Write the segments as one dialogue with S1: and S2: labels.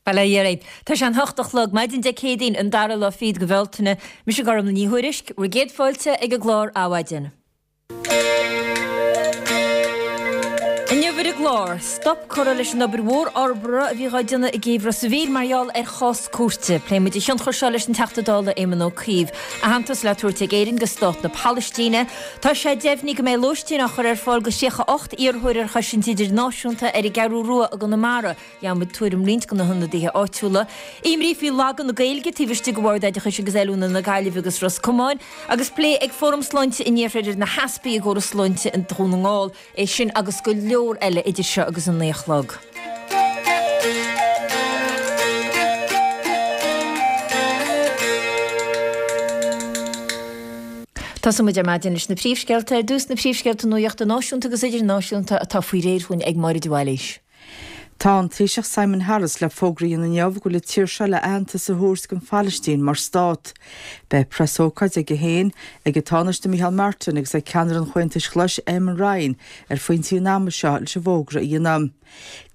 S1: Bail ó Dhia oraibh. Tá sé an hocht a chlog, maidin Dé Céadaoin, an dara lá fichead de Bhealtaine. Mise Gormlaith Ní Thuairisg, bhur gcéad fáilte ag an gclár Adhmhaidin. Inniu ar an gclár, stop curtha leis an obair mhór fhorbartha a bhí dhá déanamh i gcéibh Ros a' Mhíl mar gheall ar chás cúirte. Pléifidh muid an tionchar seo leis an Teachta Dála Éamon Ó Cuív. Aitheantas le tabhairt ag Éirinn do Stát na Palaistíne. Tá sé deimhnithe go mbeidh lóistín á chur ar fáil do 38 iarrthóir ar chosaint idirnáisiúnta ar an gCeathrú Rua i gConamara. Gheobhaidh muid tuairim roinnt de na hionadaithe áitiúla. Imní faoi lagú na Gaeilge taobh istigh de Bhord Oideachais agus Oiliúna na Gaillimhe agus Ros Comáin, agus plé ag Fóram Sláinte an Iarthair ar na heaspaí i gcóras sláinte i Dhún na nGall. É sin agus go leor eile idir seo agus an 9 a chlog. Tosóidh muid ar maidin leis na príomhscéalta. Ar dtús na príomhscéalta nuachta náisiúnta agus idirnáisiúnta atá faoi réir dhúinn ag Máire de Bhailís.
S2: Tá an Taoiseach Simon Harris le fógra a dhéanamh inniu go bhfuil an tír seo le aitheantas a thabhairt don Phalaistín mar stát. Beidh preasócáid aige féin, ag an Tánaiste Micheál Martin agus ag ceannaire an Chomhaontais Ghlais Eamon Ryan ar phointí an ama seo leis an bhfógra a dhéanamh.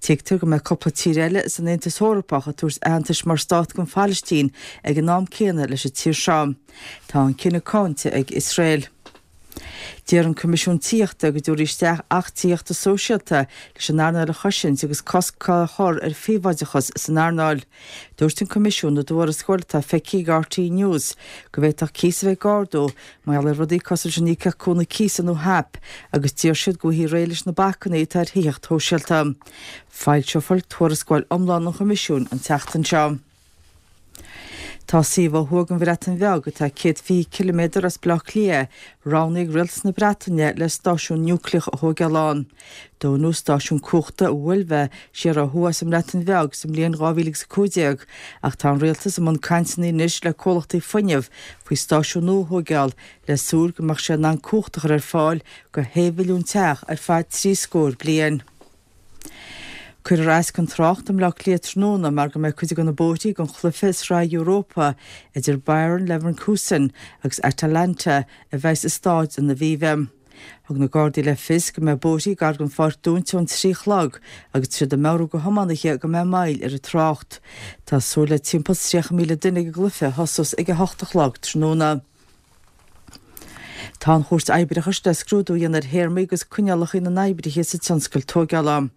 S2: Tuigtear go mbeidh cúpla tír eile san Aontas Eorpach ag tabhairt aitheantais mar stát don Phalaistín ag an am céanna leis an tír seo. Tá an cinneadh cáinte ag Iosrael. Deir an Coimisiún Tithíochta go dtabharfaí isteach Acht Tithíochta Sóisialta leis an earnáil a chosaint agus cosc a chur ar phríobháideachas san earnáil. Dúirt an Coimisiún i dtuarascáil atá feicthe ag RTÉ News go bhféadfadh cíos a bheith ag ardú mar gheall ar rudaí cosúil leis an Íocaíocht Cúnamh Cíosa nó HAP agus d'iarr siad go bhfaighfí réidh leis na bacainní atá ar thithíocht shóisialta. Foilseofar tuarascáil iomlán an Choimisiúin an tseachtain seo. Tá suíomh ó thuaidh den Bhreatain Bheag, atá 120 ciliméadar as Baile Átha Cliath, roghnaithe ag rialtas na Breataine le stáisiún núicléach a thóigeáil ann. Dúnadh stáisiún cumhachta Wylfa siar ó thuaidh sa mBreatain Bheag sa mbliain 2015 ach tá an rialtas i mbun cainteanna anois le comhlachtaí fuinnimh faoi stáisiún nua a thóigeáil le súil go mbeadh sé in ann cumhacht a chur ar fáil go shé mhilliún teach ar feadh trí scór bliain. Cuirfear as don trácht i mBleá Cliath tráthnóna mar go mbeidh cuid de na bóithrí don chluiche Sraith Europa idir Bayer Leverkusen agus Atalanta a bheas i Staid an Aviva. Thug na Gardaí le fios go mbeidh bóithrí gar don pháirc dúnta ón 3 a chlog agus tá siad ag meabhrú do thiománaithe go mbeidh moill ar an trácht. Tá súil le timpeall 30,000 duine ag an gcluiche a thosós ag 8 a chlog tráthnóna. Tá an Chúirt Oibreachais le scrúdú a dhéanamh ar théarmaí agus coinníollacha na n-oibrithe sa tionscal tóigeála.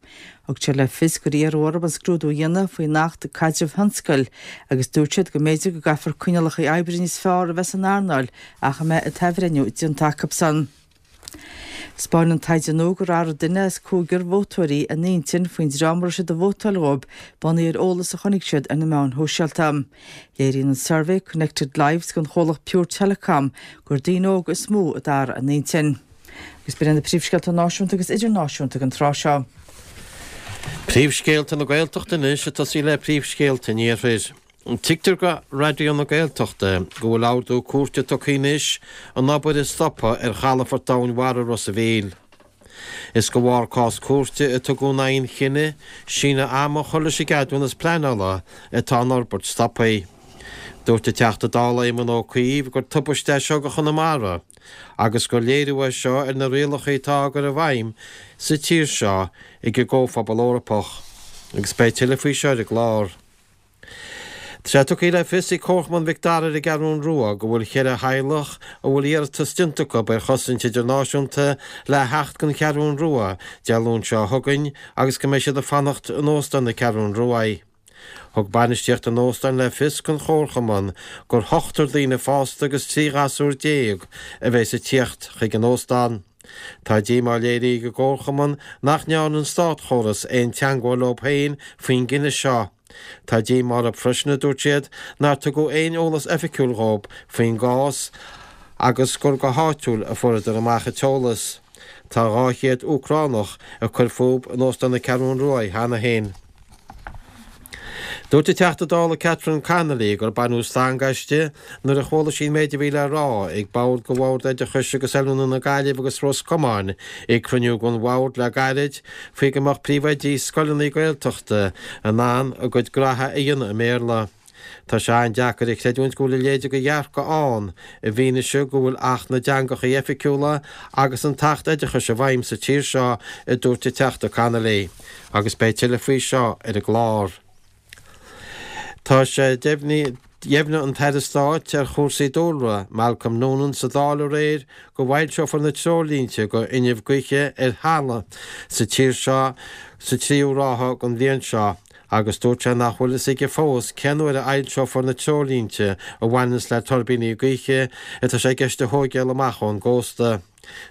S2: Thug siad le fios gur iarradh orthu an scrúdú a dhéanamh faoin Acht Caidrimh Thionscail agus dúirt siad go mb'fhéidir go gcaithfear coinníollacha oibre níos fearr a bheith san earnáil ach a mbeidh an t-athbhreithniú déanta acusan. 'Spáineann taighde nua gur athraigh duine as cúigear vótóirí a n-intinn faoin dream a raibh siad ag vótáil dhóibh bunaithe ar eolas a chonaic siad ar na meáin shóisialta. Léiríonn an suirbhé Connected Lives don chomhlacht Pure Telecom gur daoine óga is mó a d'athraigh a n-intinn. Agus b'in iad na príomhscéalta náisiúnta agus idirnáisiúnta don tráth seo.
S3: Príomhscéalta na Gaeltachta anois ag tosaí le príomhscéalta an Iarthair. Tuigtear do Raidió na Gaeltachta go bhfuil ordú cúirte tugtha anois an obair a stopadh ar chalafort domhainmhara Ros a' Mhíl. Is de bharr cás cúirte a tugadh in aghaidh an chinnidh síneadh ama a chur leis an gceadúnas pleanála atá an fhorbairt stoptha. Dúirt an Teachta Dála Éamon Ó Cuív gur tubaiste é seo do Chonamara agus gur léiriú é seo ar na rialacha atá á gcur i bhfeidhm sa tír seo ag an gComhphobal Eorpach. Agus beidh tuilleadh faoi seo ar an gclár. Tá sé tugtha le fios ag Comharchumann Mhic Dara ar an gCeathrún Rua go bhfuil cheithre theaghlach a bhfuil iarratas déanta acu ar chosaint idirnáisiúnta le theacht don Cheathrún Rua Dé Luain seo chugainn agus go mbeidh siad ag fanacht in Óstán na Ceathrún Ruaidh. Thug bainistíocht an óstáin le fios don Chomharchumann gur ochtar daoine fásta agus 13 ghasúr a bheas ag tíocht chuig an óstán. Tá díomá léirithe ag an gComharchumann nach ndearna an státchóras aon teangmháil leo féin faoin gcinneadh seo. Tá díomá orthu freisin, a dúirt siad, nár tugadh aon eolas oifigiúil dhóibh faoin gcás agus gur go háitiúil a fuaireadar amach an t-eolas. Tá 200 Úcránach ag cur fúthu in Óstán na Ceathrún Ruaidh cheana féin. Dúirt an Teachta Dála Catherine Connolly gur baineadh stangadh aisti nuair a chuala sí an méid a bhí le rá ag bord de Bhord Oideachais agus Oiliúna na Gaillimhe agus Ros Comáin ag cruinniú den bhord le gairid faoi go mbeadh príomhoidí scoileanna Gaeltachta in ann a gcuid graithe a dhéanamh i mBéarla. Tá sé an-deacair a chreidiúint go bhfuil a leithéid de dhearcadh ann i bhfianaise go bhfuil Acht na dTeangacha Oifigiúla agus an tAcht Oideachais i bhfeidhm sa tír seo, a dúirt an Teachta Connolly. Agus beidh tuilleadh faoi seo ar an gclár. Tá sé deimhnithe. Dheimhnigh an tAire Stáit ar chúrsaí dúlra, Malcolm Noonan sa Dáil aréir go bhfoilseofar na treoirlínte go fhuinneamh gaoithe ar thalamh sa tír seo sa tríú ráithe den bhliain seo agus dúirt sé nach bhfuil fhios aige fós cén uair a fhoilseofar na treoirlínte a bhaineanns le tuirbíní gaoithe atá sé i gceist a thóigeáil amach ón gcósta.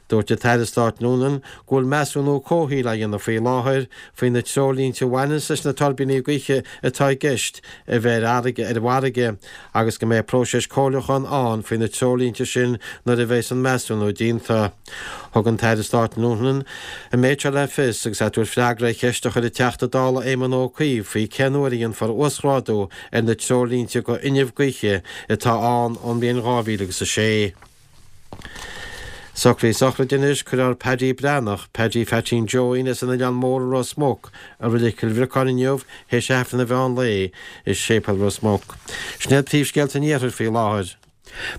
S3: Dúirt an tAire Stáit Noonan go bhfuil measúnú comhshaoil á dhéanamh faoi láthair faoi na treoirlínte a bhaineanns leis na tuirbíní gaoithe atá i gceist a bheith ar an bhfarraige agus go mbeidh próiseas comhairliúcháin ann faoi na treoirlínte sin nuair a bheas an measúnú déanta. Thug an tAire Stáit Noonan an méid seo le fios agus é ag tabhairt freagra ar cheist a chuir an Teachta Dála Éamon Ó Cuív faoi cén uair a dhéanfar uasghrádú ar na treoirlínte go fhuinneamh gaoithe atá ann ón mbliain 2006. Socruithe sochraide anois, Cuirfear Paddy Breathnach, Paddy Pheaitín Joeín as an Oileán Mór i Ros Muc, i Reilig Chill Bhriocáin inniu théis Aifreann an mheán lae i Séipéal Ros Muc. Sin iad príomhscéalta an Iarthair faoi láthair.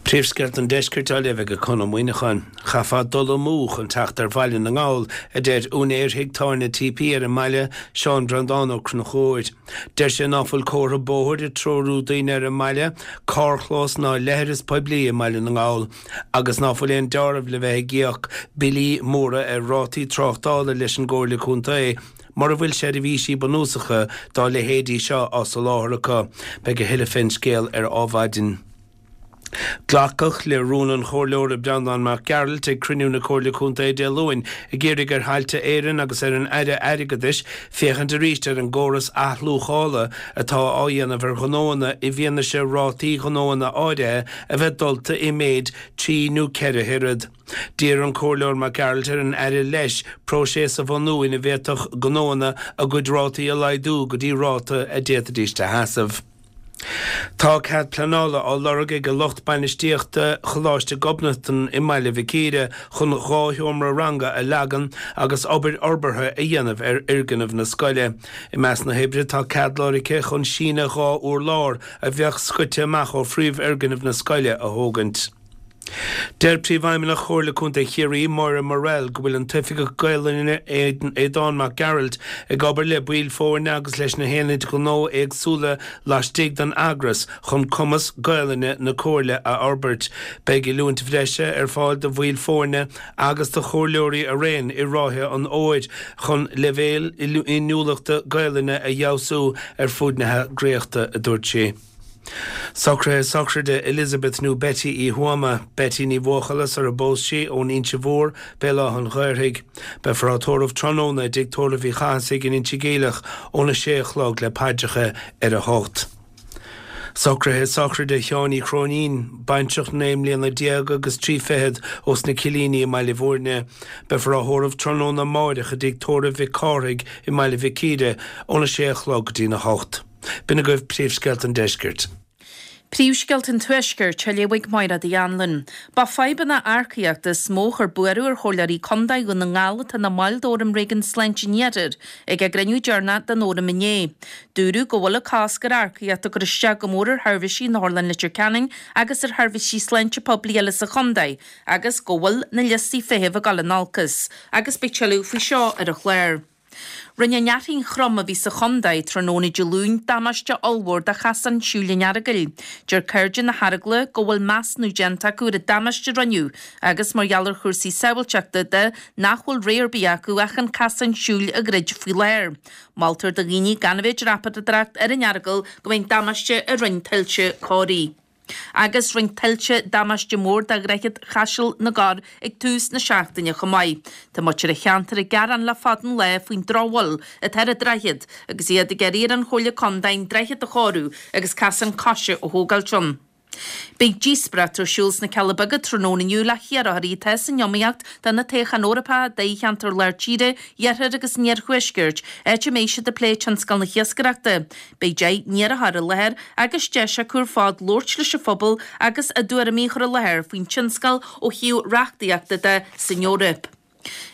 S4: Príomhscéalta an Deiscirt á léamh ag Conn Ó Muíneacháin. Chaithfeá dul amú chun teacht ar Bhaile na nGall, a deir úinéir thigh tábhairne TP ar an mbaile, Seán Breandán Ó Conchúir. Deir sé ná fuil comhartha bóthair ag treorú daoine ar an mbaile, carrchlós ná leithreas poiblí i mBaile na nGall agus ná fuil aon deáramh le bheith ag íoc billí móra ar rátaí tráchtála leis an gComhairle Contae mura bhfuil seirbhísí bunúsacha dá leithéidí seo á soláthar acu. Beidh a thuilleadh fén scéal ar Adhmhaidin. Glacadh le rún an Chomhairleora Breandán Mac Gearailt ag cruinniú na Comhairle Contae Dé Luain ag iarraidh ar Thailte Éireann agus ar an Aire Airgeadais féachaint arís ar an gcóras athluachála atá á dhéanamh ar ghnóanna i bhfianaise rátaí gnóanna áirithe a bheith dulta i méid 3 nó 4 hoiread. D'iarr an Comhairleoir Mac Gearailt ar an Aire leis próiseas a bhunú ina bhféadfadh gnóanna a gcuid rátaí a laghdú go dtí ráta a d'fhéadfaidís a sheasamh. Tá cead pleanála á lorg ag lucht bainistíochta Choláiste Ghobnatan i mBaile Mhic Íre chun 2 sheomra ranga a leagan agus obair fhorbartha a dhéanamh ar fhoirgneamh na scoile. I measc na hoibre tá cead lorgtha chun síneadh 2 urlár a bheadh scoite amach ó phríomhfhoirgneamh na scoile a thógaint. Deir Príomhfheidhmeannach Chomhairle Contae Chiarraí, Máire Morrell, go bhfuil an tOifigeach Gaolainne, Aodán Mac Gearailt, ag obair le baill foirne agus leis na haonaid ghnó éagsúla laistigh den eagras chun cumas Gaolainne na Comhairle a fhorbairt. Beidh oiliúint bhreise ar fáil do bhaill foirne agus do chomhairleoirí araon i ráithe an fhómhair chun leibhéil inniúlachta Gaolainne a fheabhsú ar fud na heagraíochta, a dúirt sí. Socruithe sochraide Elizabeth nó Betty Uí Thuama, Betty Ní Bhuachalla sar a bpós sí, ón Inse Mhór, Béal Átha an Ghaorthaidh. Beifear á tórramh tráthnóna i dTigh Tórraimh Uí Chathasaigh in Inse Geimhleach óna sé a chlog le paidreacha ar a hocht. Socruithe sochraide Sheáin Uí Chróinín, baintreach 19 mbliana agus 3 fichead ós na Cillíní i mBaile Bhúirne. Beifear á thórramh tráthnóna amáireach i dTigh Tórraimh Mhic Cárthaigh i mBaile Mhic Íre óna sé a chlog go dtína hocht. B'in agaibh príomhscéalta an deiscirt.
S5: Príomhscéalta an Tuaiscirt á léamh ag Máire Uí Anluain. Ba fadhbanna earcaíochta is mó a chuir buaireamh ar chomhairleoirí contae Dhún na nGall atá ina mbaill d'Fhóram Réigiún Sláinte an Iarthair ag a gcruinniú deireanach den fhóram inné. Dúradh go bhfuil an cosc ar earcaíocht ag cur isteach go mór ar sheirbhísí in Otharlann Leitir Ceanainn agus ar sheirbhísí sláinte poiblí eile sa chontae agus go bhfuil na liostaí feithimh ag dul in olcas. Agus beidh tuilleadh faoi seo ar an chlár. Rinne an fhearthainn throm a bhí sa chontae tráthnóna Dé Luain damáiste ollmhór do chasán siúil an Earagail. Deir Cairde na hEaragla go bhfuil measúnú déanta acu ar an damáiste a rinneadh agus mar gheall ar chúrsaí sábháilteachta de nach bhfuil rogha ar bith acu ach an casán siúil a dhruid faoi láthair. Moltar do dhaoine gan a bheith ag dreapadóireacht ar an Earagal go mbeidh an damáiste a rinne tuilte cóirithe. Agus rinne tuilte damáiste mór do Dhroichead Chaiseal na gCorr ag tús na seachtaine chomh maith. Tá muintir an cheantair ag gearán le fada an lá faoin drochbhail atá ar an droichead agus iad ag iarraidh ar an Chomhairle Contae an droichead a chóiriú agus casán coise a thógáilt ann. Beidh díospóireacht ar siúl sna Cealla Beaga tráthnóna inniu le hiarrthóirí atá san iomaíocht do na toghcháin Eorpacha i dtoghcheantair Lár Tíre, Iarthair agus an Iarthuaiscirt, áit a mbeidh siad ag plé tionscal na hiascaireachta. Beidh 10 n-iarrthóir i láthair agus deis acu ar fad labhairt leis an phobal agus a dtuairimí a chur i láthair faoin tionscal ó thaobh reachtaíochta de san Eoraip.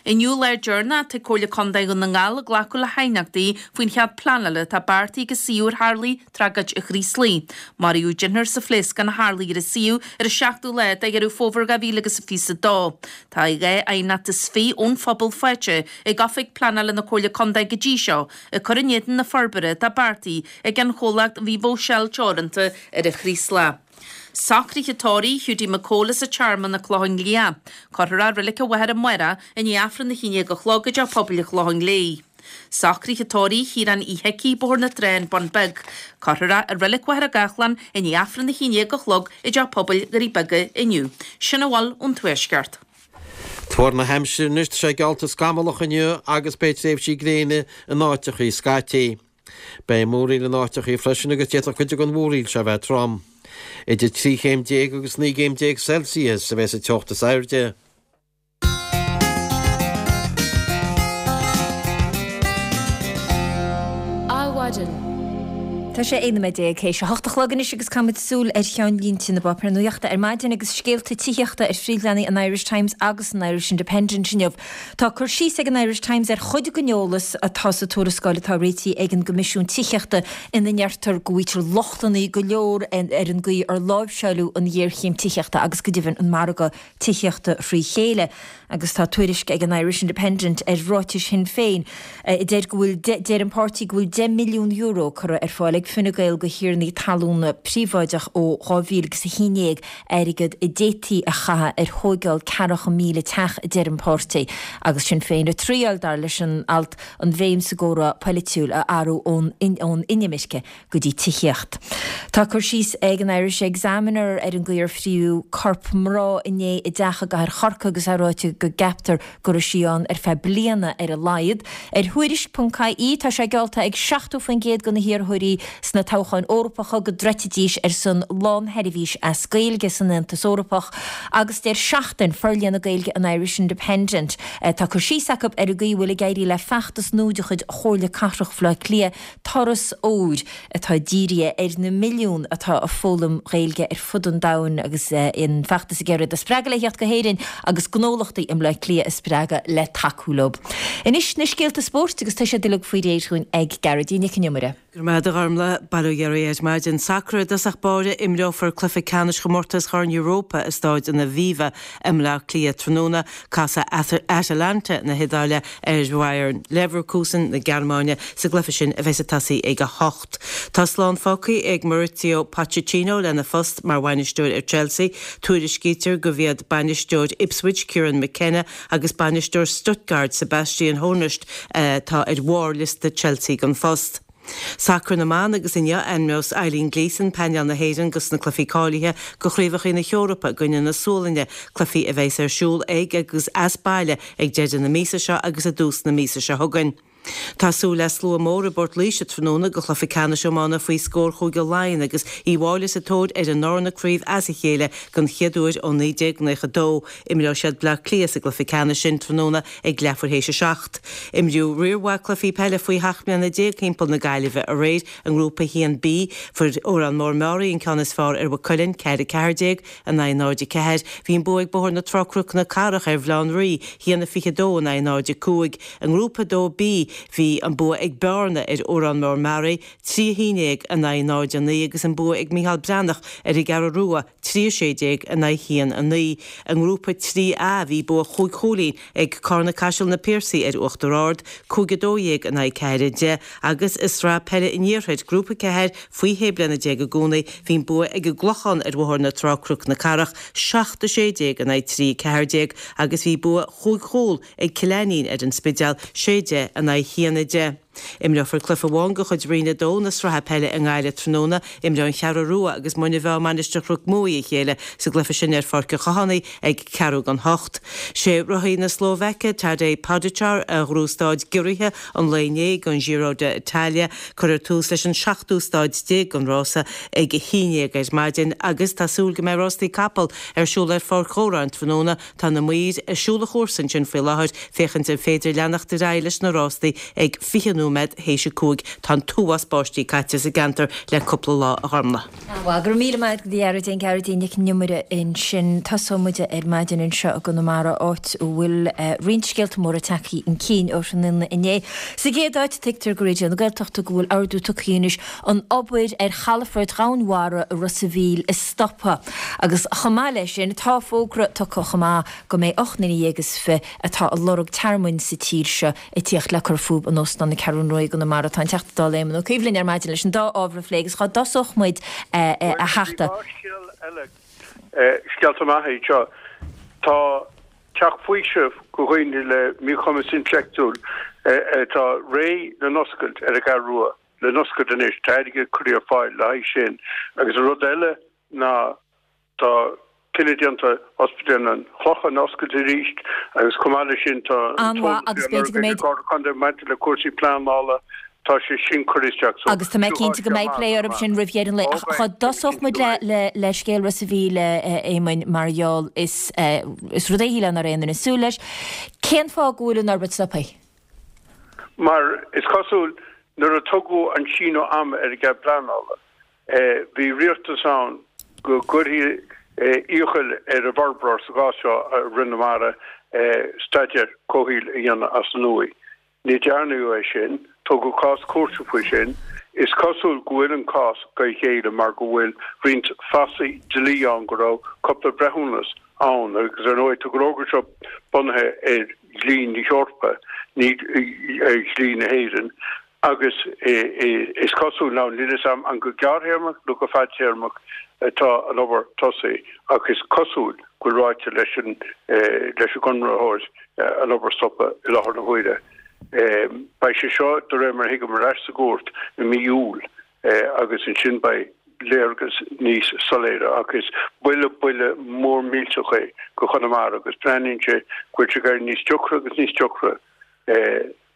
S5: Inniu lá deireanach atá ag Comhairle Contae Dhún na nGall ag glacadh le haighneachtaí faoin chead pleanála atá beartaithe ag suíomh ar Tharlaigh Tragóid an Chraoslaigh. Maraíodh deichniúr sa phléascán a tharlaigh ar an suíomh ar an seachtú lá de Dheireadh Fómhair 2022. Tá 22 aighneacht ón phobal faighte ag Oifig Pleanála na Comhairle Contae go dtí seo ag cur in éadan na forbartha atá beartaithe ag an chomhlacht Vivo Shell Teoranta ar an Chraoslach. Socruithe tórraimh Hiúdaí Mac Cóil as an Tearmann, An Clochán Liath. Cuirfear é i Reilig an Mhachaire amárach i ndiaidh Aifreann 11 a chlog i dTeach Pobail an Chlocháin Léith. Socruithe tórraimh Chiaráin Uí hIcí, Bóthar na Trá, An Bun Beag. Cuirfear é i Reilig Mhachaire Gathlán i ndiaidh Aifreann 11 a chlog i dTeach Pobail Dhoirí Beaga inniu. Sin a bhfuil ón Tuaisceart.
S3: Tuar na haimsire anois, tá sé geallta scamallach inniu agus beidh tréimhsí gréine in áiteachaí scaití. Beidh múraíl in áiteachaí freisin agus d'fhéadfadh cuid den mhúraíl seo a bheith trom. Idir 13 chéim agus 19 gcéim Celsius a bheas an teocht is airde.
S1: Adhmhaidin. Tá sé 11 nóiméad théis a hocht a chlog anois agus caithfimid súil ar cheannlínte na bpáipéar nuachta ar maidin agus scéalta tithíochta ar phríomhleathanaigh an Irish Times agus an Irish Independent inniu. Tá cur síos ag an Irish Times ar chuid den eolas atá sa tuarascáil atá réitithe ag an gCoimisiún Tithíochta ina ndeirtear go bhfaightear lochtanna go leor ar an gcaoi ar láimhseáileadh an ghéarchéim tithíochta agus go deimhin an margadh tithíochta thrí chéile. Agus tá tuairisc ag an Irish Independent ar ráitis Shinn Féin a deir go bhfuil deir an páirtí go bhfuil €10 milliún curtha ar fáil ag Fine Gael do thiarnaí talúna príobháideach ó 2011, airgead a d'fhéadfaí a chaitheamh ar thóigeáil 40,000 teach, a deir an páirtí. Agus Sinn Féin ag triáil, dar leis an alt, an bhéim sa gcomhrá polaitiúil a athrú ón inimirce go dtí tithíocht. Tá cur síos ag an Irish Examiner ar an gcaoi ar fríodh corp mná inné i dteach i gcathair Chorcaí agus é ráite go gceaptar go raibh sí ann ar feadh bliana ar a laghad. Ar Thuairisc.ie tá sé geallta ag 70% de na hiarrthóirí sna toghcháin Eorpacha go dtroidfidís ar son lánsheirbhís as Gaeilge san Aontas Eorpach agus deir Seachtain, forlíonadh Gaeilge an Irish Independent, tá cur síos acu ar an gcaoi a bhfuil ag éirí le feachtas nua de chuid Chomhairle Cathrach Bhaile Átha Cliath Turas Óir atá dírithe ar na milliúin atá ag foghlaim Gaeilge ar fud an domhain agus an feachtas ag iarraidh iad a spreagadh le theacht go hÉirinn agus gnólachtaí i mBleá Cliath a spreagadh le tacú leo. Anois na scéalta spóirt agus tá siad uilig faoi réir dhúinn ag Gearóidín Nic an Iomaire.
S2: Go raibh maith agat a Ghormlaith. Bail ó Dhia oraibh ar maidin. Sacar i dtosach báire, imreofar cluiche ceannais chomórtas Chorn Europa i Stáid an Aviva i mBleá Cliath tráthnóna. Casfaidh Atalanta na hIodáile ar Bhayer Leverkusen na Gearmáine sa gcluiche sin a bheas ag tosaí ag 8. Tá slán fágtha ag Mauricio Pochettino lena phost mar bhainisteoir ar Chelsea. Tuairiscítear gurb iad bainisteoir Ipswich Kieran McKenna agus bainisteoir Stuttgart Sebastian Hoeneß atá ar bharr liosta Chelsea don phost. Sacar na mban agus inniu ainmneos Eileen Gleeson painéal na hÉireann dos na cluichí cáilithe do Chraobhacha na hEorpa i gcoinne na Sualainne, cluichí a bheas ar siúl ag agus as baile ag deireadh na míosa seo agus i dtús na míosa seo chugainn. Tá súil le slua mór i bPort Laoise tráthnóna do chluiche ceannais iomána faoi scór Chúige Laighean agus Uíbh Fháilí sa tóir ar a ndarna craobh as a chéile den chéad uair ó 1992. Imreoidh siad Bleá Cliath sa gcluiche ceannais sin tráthnóna ag leathuair théis a 7. Imríodh riar mhaith cluichí peile faoi sheacht mbliana déag thimpeall na Gaillimhe aréir. I nGrúpa 1B, fuair Órán Mór Meáraí an ceann is fearr ar Mhaigh Cuilinn, 4 14 in aghaidh 0 4. Bhí an bua ag Bóthar na Trá Cnoc na Cathrach ar Bhaile Átha an Rí, 1 22 in aghaidh 0 5. I nGrúpa 2B, bhí an bua ag Bearna ar Órán Mór Meáraí, 3 11 in aghaidh 0 9 agus an bua ag Micheál Breathnach ar an gCeathrú Rua, 3 16 in aghaidh 1 9. I nGrúpa 3A bhí bua chúig chúilín ag Carna Caiseal Na Piarsaigh ar Uachtar Ard, 5 12 in aghaidh 4 10, agus i Sraith Peile an Iarthair, Grúpa 4, faoi shé bliana déag i gcónaí, bhí an bua ag an gClochán ar Bhóthar na Trá Cnoc na Cathrach, 7 16 in aghaidh 3 14, agus bhí bua chúig chúl ag Cill Ainnín ar an Spidéal, 6 10 in aghaidh 1 10. Imreofar cluiche amháin de chuid Roinn 2 na Sraithe Peile i nGaillimh tráthnóna. Imreoidh An Cheathrú Rua agus Muine Mheá Mainistir Chnoc Muaidhe a chéile sa gcluiche sin ar Pháirc an Chathánaigh ag ceathrú don hocht. Sé rothaí na Slóvaice, Tadej Pogačar, a ghnóthaigh staid giorraithe an lae inné don Giro d'Italia. Cuirfear tús leis an seachtú staid déag den rása ag a haon dhéag ar maidin agus tá súil go mbeidh rástaí capall ar siúl ar Pháirc Dhóráin tráthnóna. Tá na maoir ag siúl an chúrsa ansin faoi láthair féachaint an féidir leanacht ar aghaidh leis na rástaí ag 20 nóiméad.
S6: nóiméad théis a 5. Tá an t-uafás báistí caite sa gceantar le cúpla lá, a Ghormlaith.
S1: Bhuel, go raibh míle maith agat a Ghearóidín, Gearóidín Nic an Iomaire ansin. Tosóidh muid ar maidin anseo i gConamara, áit a bhfuil roinnt scéalta móra tagtha chun cinn ó thráthnóna inné. Sa gcéad áit, tuigtear go Raidió na Gaeltachta go bhfuil ordú tugtha anois an obair ar chalafort Dhomhan Mhara i Ros a' Mhíl a stopadh. Agus chomh maith leis sin, tá fógra tugtha chomh maith go mbeidh 28 nduine atá ag lorg tearmainn sa tír seo ag tíocht le cur fúthu in Óstán na Ceathrún Rua i gConamara. Tá an Teachta Dála Éamon Ó Cuív linn ar maidin leis an dá ábhar a phlé agus cá dtosódh muid a Theachta?
S7: Bhuel, bhí dhá scéal eile, scéalta maithe iad seo. Tá teach faoisimh do dhaoine le míchumas intleachtúil atá réidh le n-oscailt ar an gCeathrú Rua, le n-oscailt anois, tá airgead curtha ar fáil le haghaidh sin. Agus an rud eile ná Tá cinneadh déanta Ospidéal an Chlocháin a oscailt arís agus chomh maith leis sin tá an
S1: An-mhaith
S7: t-eolas
S1: agus
S7: faoi
S1: b'fhéidir go
S7: lorg ag
S1: mbeidh.
S7: Comhairle Contae maidir le cúrsaí pleanála, tá sé sin curtha isteach so
S1: Agus tá mé cinnte go mbeidh plé orthu sin roimh dheireadh an lae. Ach dhá dtosódh muid le le le scéal Ros a' Mhíl, a Éamoinn, mar gheall is is rud é shílfeá nach raibh aon duine ag súil leis. Cén fáth go bhfuil an fhorbairt stoptha?
S7: Mar is cosúil nuair a tugadh an síneadh ama ar an gcead pleanála, Bhí riachtanas ann go gcuirfí iachall ar an bhforbróir, sa gcás seo Roinn na Mara, staidéar comhshaoil a dhéanamh as an nua. Ní dearnadh é sin. Tógadh cás cúirte faoi sin. Is cosúil go bhfuil an cás go ghéilleadh mar go bhfuil roinnt fasaigh dlí ann go raibh cúpla breithiúnas ann agus ar ndóigh tá an fhógra seo bunaithe ar dhlí na hEorpa, ní ar dhlí na hÉireann. Agus is cosúil, now níl a fhios agam an go gearrthéarmach nó go fadtéarmach atá an obair tosaithe, ach is cosúil go bhfuil ráite leis an leis an gconraitheoir an obair a stopadh i láthair na huaire. Beidh sé seo, de réir mar a thuigim, ar ais sa gcúirt i mí Iúil agus ansin beidh léargas níos soiléire. Ach is buille, buille mór millteach é go Chonamara agus breathnaíonn sé go bhfuil sé ag éirí níos deacra agus níos deacra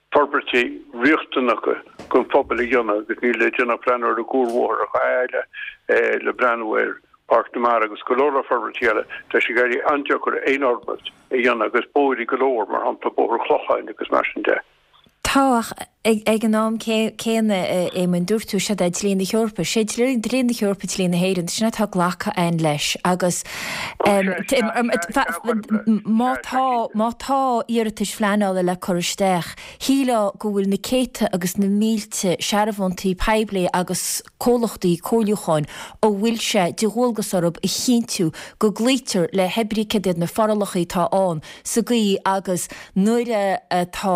S7: forbairtí riachtanacha don phobal a dhéanamh agus níl le déanamh ach breathnú ar an gcuarbhóthar a fhad le breathnú ar Pháirc na Mara agus go leor leor forbairtí eile. Tá sé ag éirí an-deacair aon fhorbairt a dhéanamh agus bóithre go leor, mar shampla Bóthar an Chlocháin agus mar sin de.
S1: Tá, ach ag an am céanna, a Éamoinn, dúirt tú, séard é dlí na hEorpa. Sé dlí na hEorpa dlí na hÉireann, sin atá glactha againn leis agus má tá, má tá iarratais phleanála le cur isteach, shílfeá go bhfuil na céadta agus na mílte searbhóntaí poiblí agus comhlachtaí comhairliúcháin a bhfuil sé de dhualgas orthu a chinntiú go gcloítear le hébrí céard iad na forálacha atá ann sa gcaoi agus nuair atá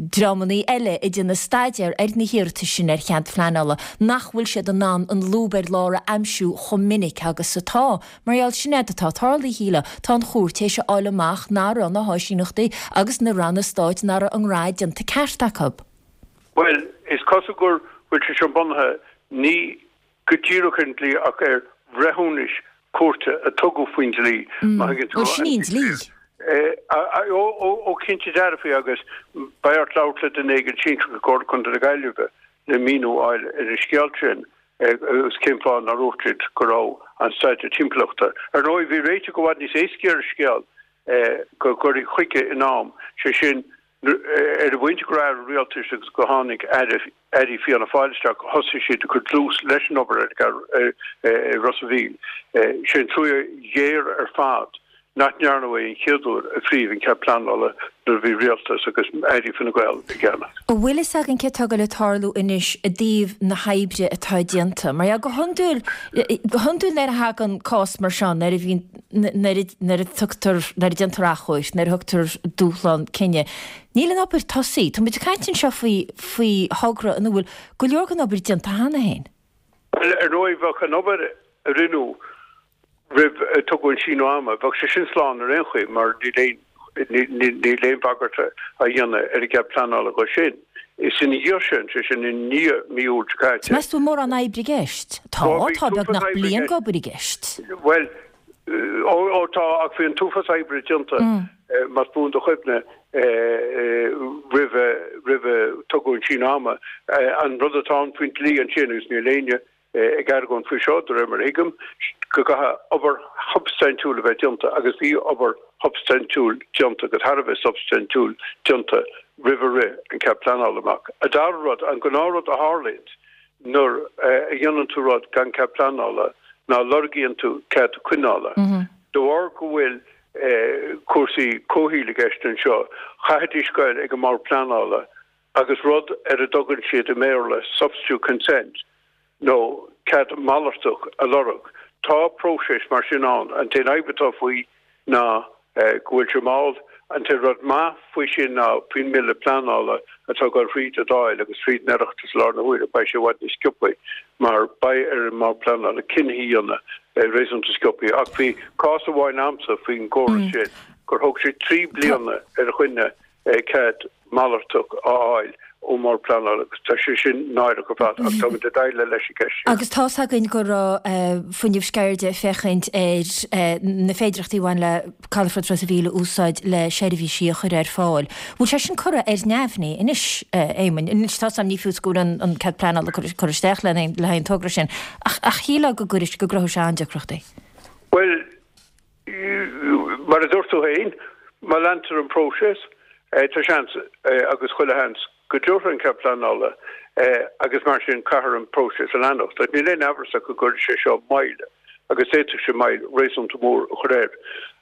S1: dreamannaí eile ag déanamh staidéar ar na hiarratais sin ar chead phleanála nach bhfuil siad in ann an lúb ar lár a aimsiú chomh minic agus atá. Mar gheall, sin é atá tarlaithe, shílfeá. Tá an chúirt théis a fháil amach nach raibh na háisíneachtaí agus na ranna stáit nach raibh a ngraith déanta ceart acu.
S7: Bhuel, is cosúil go bhfuil sé seo bunaithe ní go díreach ar an dlí ach ar bhreithiúnais cúirte a tugadh faoin dlí, má thuigeann tú.
S1: Bhuel, sin í an dlí.
S7: Ó, cinnte dearfa agus beidh ort labhairt le duine éigin sinsearach i gComhairle Contae na Gaillimhe le míniú a fháil ar an scéal sin agus cén fáth nár dhúirt siad go raibh an staidéar timpeallachta. Ar ndóigh, bhí réiteach i bhfad níos éascaí ar an scéal go gcuirfí chuige in am, sé sin, Ar an bpointe go raibh Aire Rialtais agus go tháinig Aire, Airí Fianna Fáil isteach, thosaigh siad ag cur dlús leis an obair ar i Ros a' Mhíl. Sé an trua ghéar ar fad nach ndearnadh é an chéad uair a frítheadh an cead pleanála nuair a bhí Rialtas agus Airí Fine Gael i gceannas.
S1: An bhfuil fhios againn céard atá ag goil ag tarlú anois i dtaobh na hoibre atá déanta? Mar go hiondúil, go hiondúil nuair a thagann cás mar seo, nuair a bhíonn, nuair a tugtar, nuair a déantar achomharc, nuair a thugtar dúshlán cinnidh, níl an obair tosaithe. Tá muid ag caint anseo faoi, faoi thogra ina bhfuil go leor den obair déanta cheana féin.
S7: Bhuel, ar ndóigh, bheadh an obair a rinneadh roimh a tugadh an síneadh ama, bheadh sé sin slán ar aon chaoi mar níl aon, níl aon bhagairt á dhéanamh ar an gcead pleanála dho sin. Is ina dhiaidh sin, sé sin i ndiaidh mí Iúil seo caite.
S1: Meas tú an mórán oibre i gceist? Tá, tá beagnach bliain d'obair i gceist.
S7: Bhuel, ó, ó tá, ach bhí an t-uafás oibre déanta, más buan do chuimhne, roimh, roimh a tugadh an síneadh ama. An rud atá ann faoin dlí ansin, agus níl éinne ag argóint faoi seo, de réir mar a thuigim, go gcaithfidh obair shubstaintiúil a bheith déanta, agus bhí obair. shubstaintiúil déanta agus thar a bheith substaintiúil déanta roimh a rith an cead pleanála amach. An dara rud, an gnáthrud a tharlaíonns nuair a dhéanann tú rud gan cead pleanála ná lorgaíonn tú cead coinneála. De bharr go bhfuil cúrsaí comhshaoil i gceist anseo, chaithfidís goil ag an mBord Pleanála agus rud ar a dtugann siad i mBéarla substitute consent nó cead malartach a lorg. Tá próiseas mar sin ann. An t-aon fhadhb atá faoi ná go bhfuil sé mall. An t-aon rud maith faoi sin ná faoin mBille Pleanála atá ag dul thríd an Dáil agus thríd an Oireachtas i láthair na huaire, beidh sé i bhfad níos sciobthaí mar beidh ar an mBord Pleanála cinntí a dhéanamh réasúnta sciobthaí. Ach bhí cás amháin a'msa faoin gcóras sin gur thóg sé 3 bliana ar dhuine cead malartach a fháil ón mBord Pleanála agus tá sé sin náireach ar fad ach táimid ag déileáil leis an gceist sin.
S1: Agus tá's againn go raibh Fuinneamh Sceirde ag féachaint ar na féidearthachtaí a bhain le Calafort Ros a' Mhíl a úsáid le seirbhísí a chur ar fáil. Bhfuil sé sin curtha ar neamhní anois, a Éamoinn? Anois tá's agam ní fios go bhfuil an cead pleanála curtha isteach le haghaidh an togra sin ach shílfeá go gcuirfeadh, go gcruthódh sé an-deacrachtaí.
S7: Bhuel, Mar a dúirt tú féin, má leantar an próiseas, tá seans, agus chuile sheans, go dtabharfar an cead pleanála agus mar sin caithfear an próiseas a leanacht. Ach níl aon amhras ach go gcuirfidh sé seo moill, agus d'fhéadfadh sé moill réasúnta mór a chur air.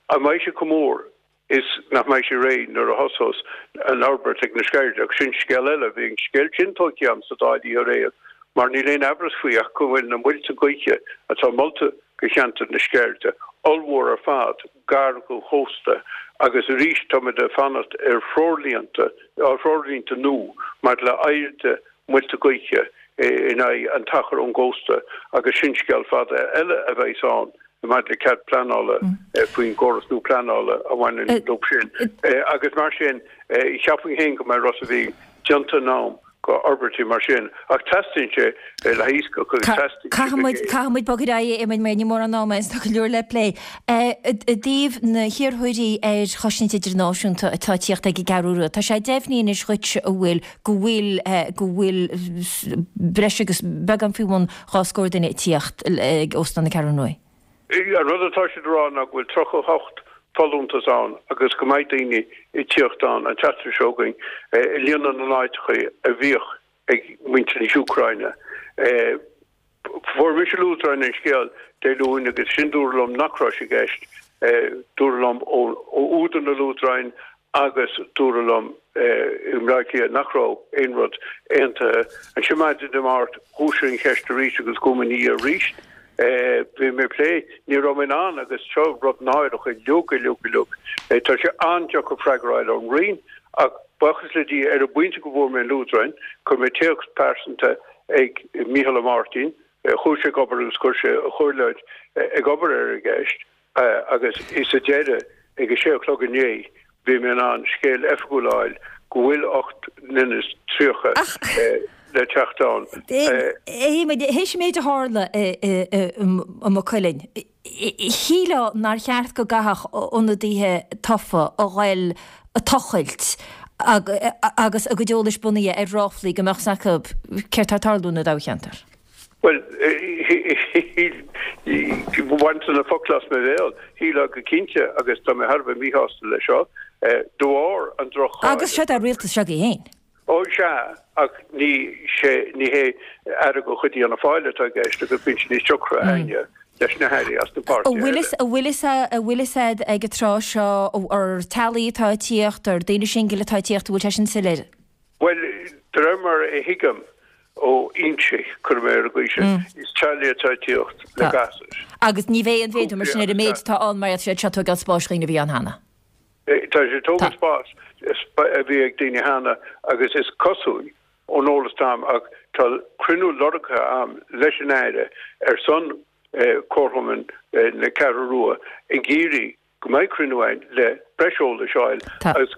S7: An mbeidh sé chomh mór is nach mbeidh sé réidh nuair a thosós an fhorbairt ag na Sceirde? Ach sin scéal eile. Bhí an scéal sin tógtha agam sa Dáil oíche aréir mar níl aon amhras faoi ach go bhfuil na muilte gaoithe atá molta go cheantar na Sceirde, ollmhór ar fad, gar don chósta agus arís táimid ag fanacht ar threoirlínte, threoirlínte nua maidir le airde muilte gaoithe in aghaidh an t-achar ón gcósta agus sin scéal fada eile a bheas ann maidir le cead pleanála faoin gcóras nua pleanála a bhaineann leo sin. Agus mar sin, cheapfainn féin go mbeidh Ros a' Mhíl déanta in am go fhorbairtí mar sin, ach teastaíonn sé le haghaidh iascach agus teastaíonn sé go
S1: Caithfidh muid, caithfidh muid bogadh ar aghaidh, a Éamoinn, mar níl mórán ama againn, tá go leor le plé. I dtaobh na hiarrthóirí ar chosaint idirnáisiúnta atá ag tíocht ag an gCeathrú Rua, tá sé deimhnithe anois dhuit an bhfuil, go bhfuil, go bhfuil breis agus beagán faoi bhun dhá scór duine ag tíocht ag Óstán na Ceathrún Rua.
S7: An rud atá siad a rá ná go bhfuil 38 folúntas ann agus go mbeidh daoine ag tíocht ann an tseachtain seo chugainn ag líonadh na n-áiteacha a bhíodh ag muintir na hÚcráine. Fuair mise luaidreáin an scéal Dé Luain agus sin dúradh liom nach raibh sé i gceist. Dúradh liom ó údar na luaidreáin agus dúradh liom i mBleá Cliath nach raibh aon rud aontaithe. Ansin maidin Dé Máirt dhúisigh an cheist arís agus chuaigh mé ina dhiaidh arís. Bhí mé ag plé, ní raibh mé in ann agus seo rud náireach uilig uilig uilig. Tá sé an-deacair freagra a fháil ón Roinn ach buíochas le Dia ar an bpointe go bhfuair mé an luaidreán, chuir mé téacs pearsanta ag Mícheál Ó Máirtín, chuaigh sé ag obair agus chuir sé a chomhairleoir ag obair ar an gceist. Agus sa deireadh, ag a sé a chlog inné, bhí mé in ann scéal oifigiúil a fháil go bhfuil 8 nduine is 30 le teacht ann.
S1: Théis an méid a tharla i Maigh Cuilinn, shílfeá nár cheart go gcaithfeadh ionadaithe tofa a ghoil ag tochailt agus a gcuid eolais bunaithe ar ráflaí go mbeadh 's acu céard tá ag tarlú ina dtoghcheantar.
S7: Bhuel, bhain tú na focla as mo bhéal. Shílfeá go cinnte, agus tá mé thar a bheith míshásta leis seo, de bharr an droch-cháil.
S1: Agus seo é rialtas seo agaibh féin.
S7: Ó, sea, ach ní sé, ní hé aire de chuid Fhianna Fáil atá i gceist agus bíonn sé níos deacra againne leis na hairí as na páirtithe
S1: eile. An bhfuil fhios a'd ag an tráth seo ar teaghlaigh atá ag tíocht, ar daoine singil atá ag tíocht, an bhfuil sé sin soiléir?
S7: Bhuel, de réir mar a thuigim ó fhoinsí, cuirfidh mé ar an gcaoi sin, is teaghlaigh atá ag tíocht le gasúir.
S1: Agus ní bheidh aon mhéadú mar sin ar an méid atá ann mar tá siad ag tógáil spáis dhaoine a bhí ann cheana.
S7: Tá siad ag tógáil spáis a bhí ag daoine cheana agus is cosúil ón eolas atá a'm ach tá cruinniú lorgtha a'm leis an Aire ar son Comharchumann na Ceathrú Rua ag iarraidh go mbeidh cruinniú ann le breis eolais a fháil agus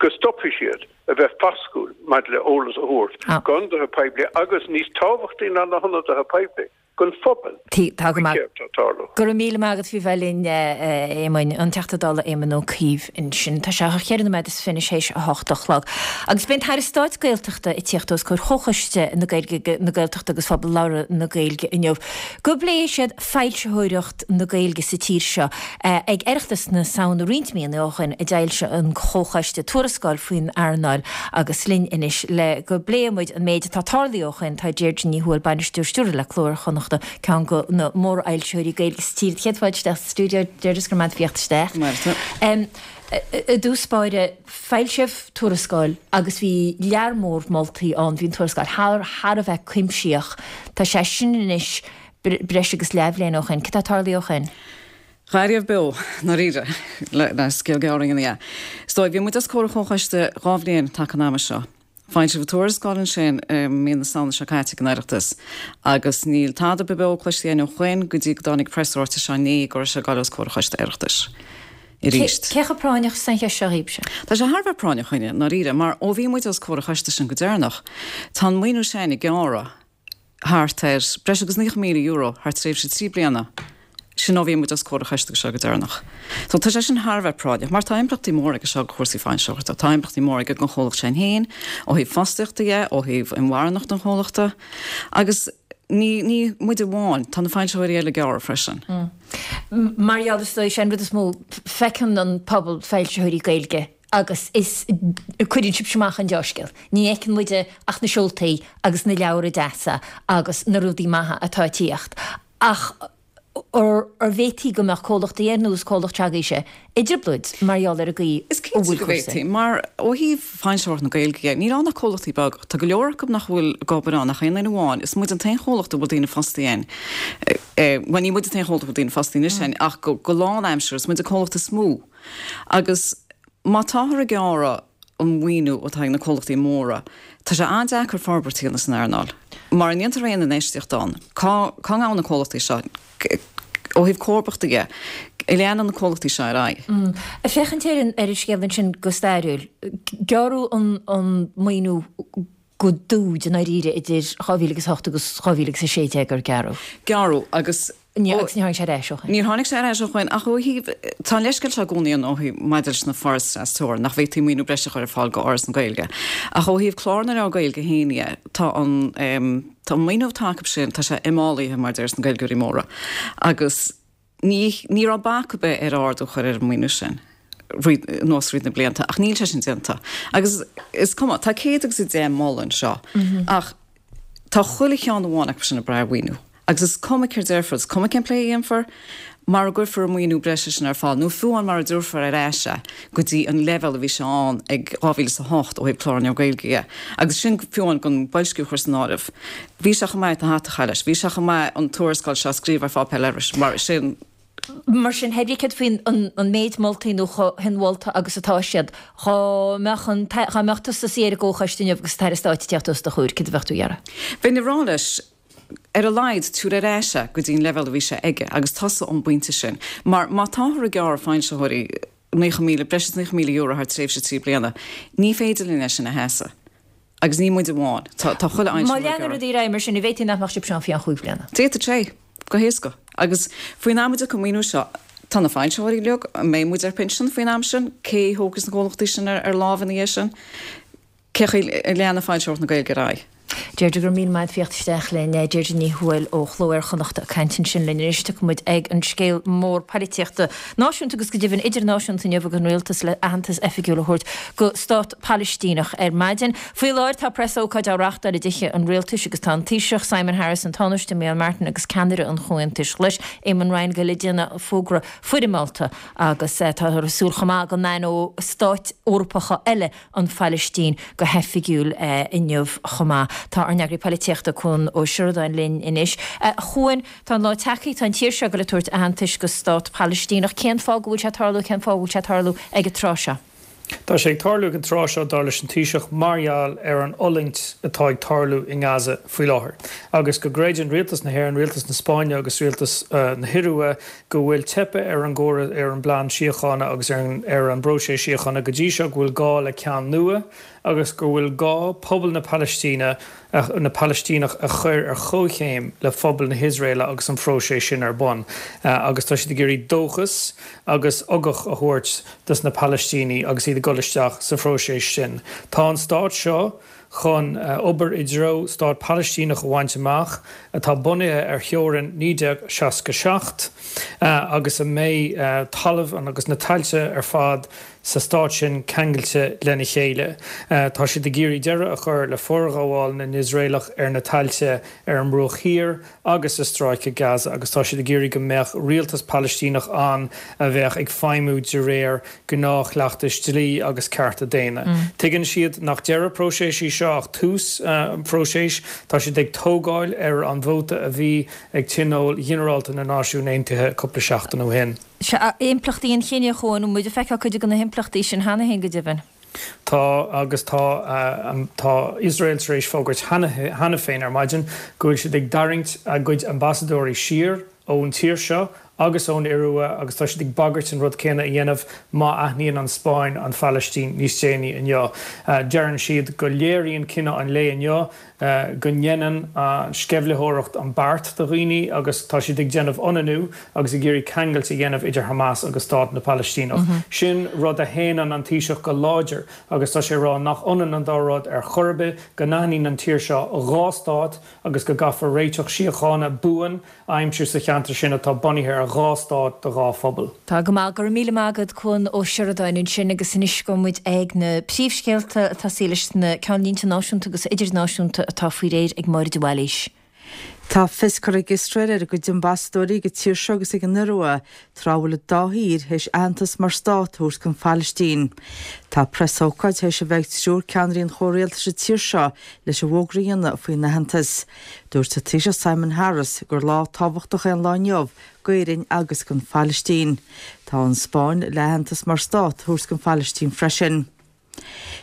S7: go stopfaidh siad a bheith fascúil maidir le eolas a thabhairt go hionadaithe poiblí agus níos tábhachtaí ná na hionadaithe poiblí. don phobal
S1: Tá go
S7: faoi
S1: maith.
S7: céard atá ag tarlú.
S1: Go raibh míle maith agat faoi bheith linn, a Éamoinn, an Teachta Dála Éamon Ó Cuív ansin. Tá sé cheithre nóiméad is fiche théis a hocht a chlog. Agus beidh an tAire Stáit Gaeltachta ag tíocht os comhair Chomhchoiste na Gaeilge, na Gaeltachta agus Phobal Labhartha na Gaeilge inniu go bpléifidh siad foilsitheoireacht na Gaeilge sa tír seo. Ag Oireachtas na Samhna roinnt míonna ó shin a d'fhoilsigh an Comhchoiste tuarascáil faoin earnáil agus linn anois le go bpléifidh muid an méid atá tarlaithe ó shin tá Deirdre Ní Thuathail, Bainisteoir Stiúrtha le Cló Iar-Chonnachta, ceann de na mórfhoilsitheoirí Gaeilge sa tír. Céad fáilte isteach sa stiúideo, Deirdre, is go raibh maith agat faoi theacht isteach. I dtús báire, foilsíodh tuarascáil agus bhí lear mór moltaí ann, bhí an tuarascáil thar thar a bheith cuimsitheach. Tá sé sin anois breis agus leathbhliain ó shin. Cad tá tarlaithe ó shin?
S8: Dhá riamh beo, ndáiríre, le scéal gearr a dhéanamh dhe. Is dóigh, bhí muid os comhair an Chomhchoiste dhá bhliain taca an ama seo. Foilsíodh tuarascáil ansin i mí na Samhna seo caite ag an Oireachtas agus níl tada beo cloiste againn ó shoin go dtí go dtáinig preasráiteas seo inné go raibh sé ag dul os comhair an Choiste Oireachtais arís.
S1: Cé chomh práinneach is atá an cheist seo dhaoibhse?
S8: Tá sé thar a bheith práinneach chugainne, ndáiríre, mar ó bhí muid os comhair an choiste sin go deireanach, tá an maoiniú sin ag gearradh. thart ar breis agus €90,000 thar tréimhse 3 bliana, sin ó bhí muid os comhair an choiste seo go deireanach. So tá sé sin thar a bheith práinneach, mar tá impleachtaí móra aige seo do chúrsaí foilsitheoireachta, tá impleachtaí móra aige don chomhlacht sin féin, ó thaobh fostaíochta dhe, ó thaobh inmharthanacht an chomhlachta, agus ní, ní muid amháin, tá na foilsitheoirí eile ag gearradh freisin.
S1: Mar gheall, is dóigh, sé an rud is mó, feiceann an pobal foilsitheoirí Gaeilge agus is cuireann sibhse amach an deá-scéal. Ní fheiceann muide ach na seoltaí agus na leabhra deasa agus na rudaí maithe atá ag tíocht. Ach an bhféadfaí go mbeadh comhlachtaí ar nós comhlacht s'agaibhse i dtrioblóid mar gheall ar an gcaoi
S8: Is
S1: a
S8: cinnte
S1: bhfuil
S8: go
S1: cúrsaí.
S8: bhféadfaí, mar ó thaobh foilsitheoireacht na Gaeilge dhe, níl ann ach comhlachtaí beaga. Tá go leor acu nach bhfuil ag obair ann ach aon duine amháin. Is muid an t-aon chomhlacht a bhfuil daoine fostaithe ann. Bhuel, ní muid an t-aon chomhlacht a bhfuil daoine fostaithe anois ann, ach go lánaimseartha, is muid an comhlacht is mó. Agus má táthar ag gearradh an mhaoiniú atá ag na comhlachtaí móra, tá sé an-deacair forbairt a dhéanamh san earnáil. Mara ndéantar aon infheistíocht ann, cá cá ngabhann na comhlachtaí seo? Ó thaobh comharbachta dhe, an leanann na comhlachtaí seo ar aghaidh?
S1: Ag féachaint ar an ar an scéal ansin go stairiúil, gearradh an an maoiniú go dúid i ndáiríre idir 2000 agus 8 agus 2016 ar gearradh.
S8: Gearradh agus.
S1: Ní, agus ní tháinig sé ar ais ó
S8: shin. Níor tháinig sé ar ais ó shin ach ó thaobh, tá an leithscéal seo i gcónaí ann ó thaobh, maidir leis na forais trasteorann, nach bhféadfaí maoiniú breise a chur ar fáil go Fhoras na Gaeilge. Ach ó thaobh clár na leabhar Gaeilge féin dhe, tá an, tá an maoiniú atá acu sin, tá sé imfhálaithe mar a déarfas na Gaeilgeoirí móra. Agus. Ní, ní raibh bac ar bith ar ardú a chur ar an maoiniú sin fríd, anuas fríd na blianta ach níl sé sin déanta. Agus is cuma, tá 110 moladh anseo ach tá chuile cheann amháin acu sin ag brath ar mhaoiniú. Agus is cuma céard déarfar, is cuma cén plé a dhéanfar, mara gcuirfear an maoiniú breise sin ar fáil, nó fiú amháin mara dtabharfar ar ais é go dtí an leibhéal a bhí sé ann ag 2008 ó thaobh Clár na Leabhar Gaeilge dhe, agus sin fiú amháin gan boilsciú a chur san áireamh. Bhí sé chomh maith an hata a chaitheamh leis. Bhí sé chomh maith an tuarascáil seo a scríobh ar pháipéar leithris, mar sin.
S1: Mar sin, thé brí céard faoin an méid moltaí nó chomh hinmholta agus atá siad, dhá mbeadh an, dhá mbeadh tusa suí ar an gcomhchoiste inniu agus an tAire Stáit ag tíocht os do chomhair, céard a bheadh tú a iarraidh?
S8: Bheinn ag rá leis, ar a laghad, tabhair ar ais é go dtí an leibhéal a bhí sé aige agus tosaigh ón bpointe sin. Mar má táthar ag gearradh foilsitheoirí 90,000, breis is €90,000 thar tréimhse 3 bliana, ní féidir linn é sin a sheasamh. Agus ní muid amháin. Tá chuile
S1: fhoilsitheoir Má ag leanann gearradh. rudaí ar aghaidh mar sin, an bhféadfaí nach mbeadh sibhse ann faoi cheann chúig bhliana?
S8: D'fhéadfadh sé. Go héasca. Agus faoin am a dtiocfaidh an maoiniú seo, tá na foilsitheoirí uilig, an mbeidh muid ar pinsean faoin am sin? Cé a thógfas na comhlachtaí sin ar láimh ina dhiaidh sin? Cé chaoi a leanfaidh foilsitheoireacht na Gaeilge ar aghaidh?
S1: Deirdre, go raibh míle maith agat faoi theacht isteach linn. Deirdre Ní Thuathail ó Chló Iar-Chonnachta ag caint ansin linn. Anois tiocfaidh muid ag an scéal mór poilitíochta náisiúnta agus go deimhin idirnáisiúnta inniu agus an rialtas le aitheantas oifigiúil a thabhairt go stát Palaistíneach ar maidin. Faoi láthair tá preasócáid á reáchtáil i dTithe an Rialtais agus tá an Taoiseach Simon Harris, an Tánaiste Micheál Martin agus ceannaire an Chomhaontais Ghlais, Eamon Ryan ag goil ag déanamh fógra foirmeálta agus táthar ag súil chomh maith go n-aithneoidh stáit Eorpacha eile an Phalaistín go hoifigiúil inniu chomh maith. Tá ár n-eagraí poilitíochta Cuan Ó Seireadáin linn anois. A Chuain, tá an lá tagtha, tá an tír seo ag goil ag tabhairt aitheantais go stát Palaistíneach. Cén fáth go bhfuil sé ag tarlú, cén fáth go bhfuil sé ag tarlú ag an tráth seo?
S9: Tá sé ag tarlú ag an tráth seo, dar leis an Taoiseach, mar gheall ar an fhulaingt atá ag tarlú i nGaza faoi láthair agus go gcreideann rialtas na hÉireann, rialtas na Spáinne agus rialtas na hIorua go bhfuil teipthe ar an gcóras, ar an bplean síochána agus ar an bpróiseas síochána go dtí seo, go bhfuil gá le ceann nua. agus go bhfuil gá pobal na Palaistíne, na Palaistíneach a chur ar chomhchéim le phobal na hIosraela agus an phróiseas sin ar bun. Agus tá siad ag iarraidh dóchas agus ugach a thabhairt dos na Palaistínigh agus iad ag dul isteach sa phróiseas sin. Tá an stát seo chun obair i dtreo stát Palaistíneach a bhaint amach atá bunaithe ar theorainn 1967 agus a mbeidh talamh agus na tailte ar fad sa stát sin ceangailte lena chéile. Tá siad ag iarraidh deireadh a chur le forghabháil na nIosraelach ar na tailte ar an mBruach Thiar agus i Stráice Gaza agus tá siad ag iarraidh go mbeadh rialtas Palaistíneach ann a bheadh ag feidhmiú de réir gnáthchleachtais dlí agus cearta daonna. Tuigeann siad nach deireadh próiseas í seo ach tús an phróisis. Tá siad ag tógáil ar an vóta a bhí ag Tionól Ghinearálta na Náisiún Aontaithe cúpla seachtain ó shin.
S1: Sea, impleachtaí an chinnidh, a Chuain, bhfuil muid ag feiceáil cuid de na himpleachtaí sin cheana féin go deimhin.
S9: Tá, agus tá, tá Iosrael tar éis fógairt cheana féin ar maidin go bhfuil siad ag tarraingt a gcuid ambasadóirí siar ón tír seo agus ón Iorua agus tá siad ag bagairt an rud céanna a dhéanamh má aithníonn an Spáinn an Phalaistín níos déanaí inniu. Deireann siad go léiríonn cinneadh an lae inniu go ndéanann an sceimhlitheoireacht an beart do dhaoine agus tá siad ag déanamh ionannú agus ag iarraidh ceangailt a dhéanamh idir Hamas agus Stát na Palaistíneach. Sin rud a shéanann an Taoiseach go láidir agus tá sé ag rá nach ionann an dá rud ar chor ar bith, go n-aithníonn an tír seo dhá stát agus go gcaithfear réiteach síochána buan a aimsiú sa cheantar sin atá bunaithe ar dhá stát do dhá phobal.
S1: Tá go maith, go raibh míle maith agat Cuan Ó Seireadáin ansin agus anois gabhfaidh muid ag na príomhscéalta ag tosaí leis na ceannlínte náisiúnta agus idirnáisiúnta atá faoi réir ag Máire de Bhailís.
S2: Tá fios curtha ag Iosrael ar a gcuid ambasadóirí ag an tír seo agus ag an Iorua tráth a bhfuil an dá thír théis aitheantas mar stát a thabhairt don Phalaistín. Tá preasócáid théis a bheith ag triúr ceannairí an chomhrialtais sa tír seo leis an bhfógra a dhéanamh faoin aitheantas. Dúirt an Taoiseach Simon Harris gur lá tábhachtach é an lá inniu d'Éirinn agus don Phalaistín. Tá an Spáinn le aitheantas mar stát a thabhairt don Phalaistín freisin.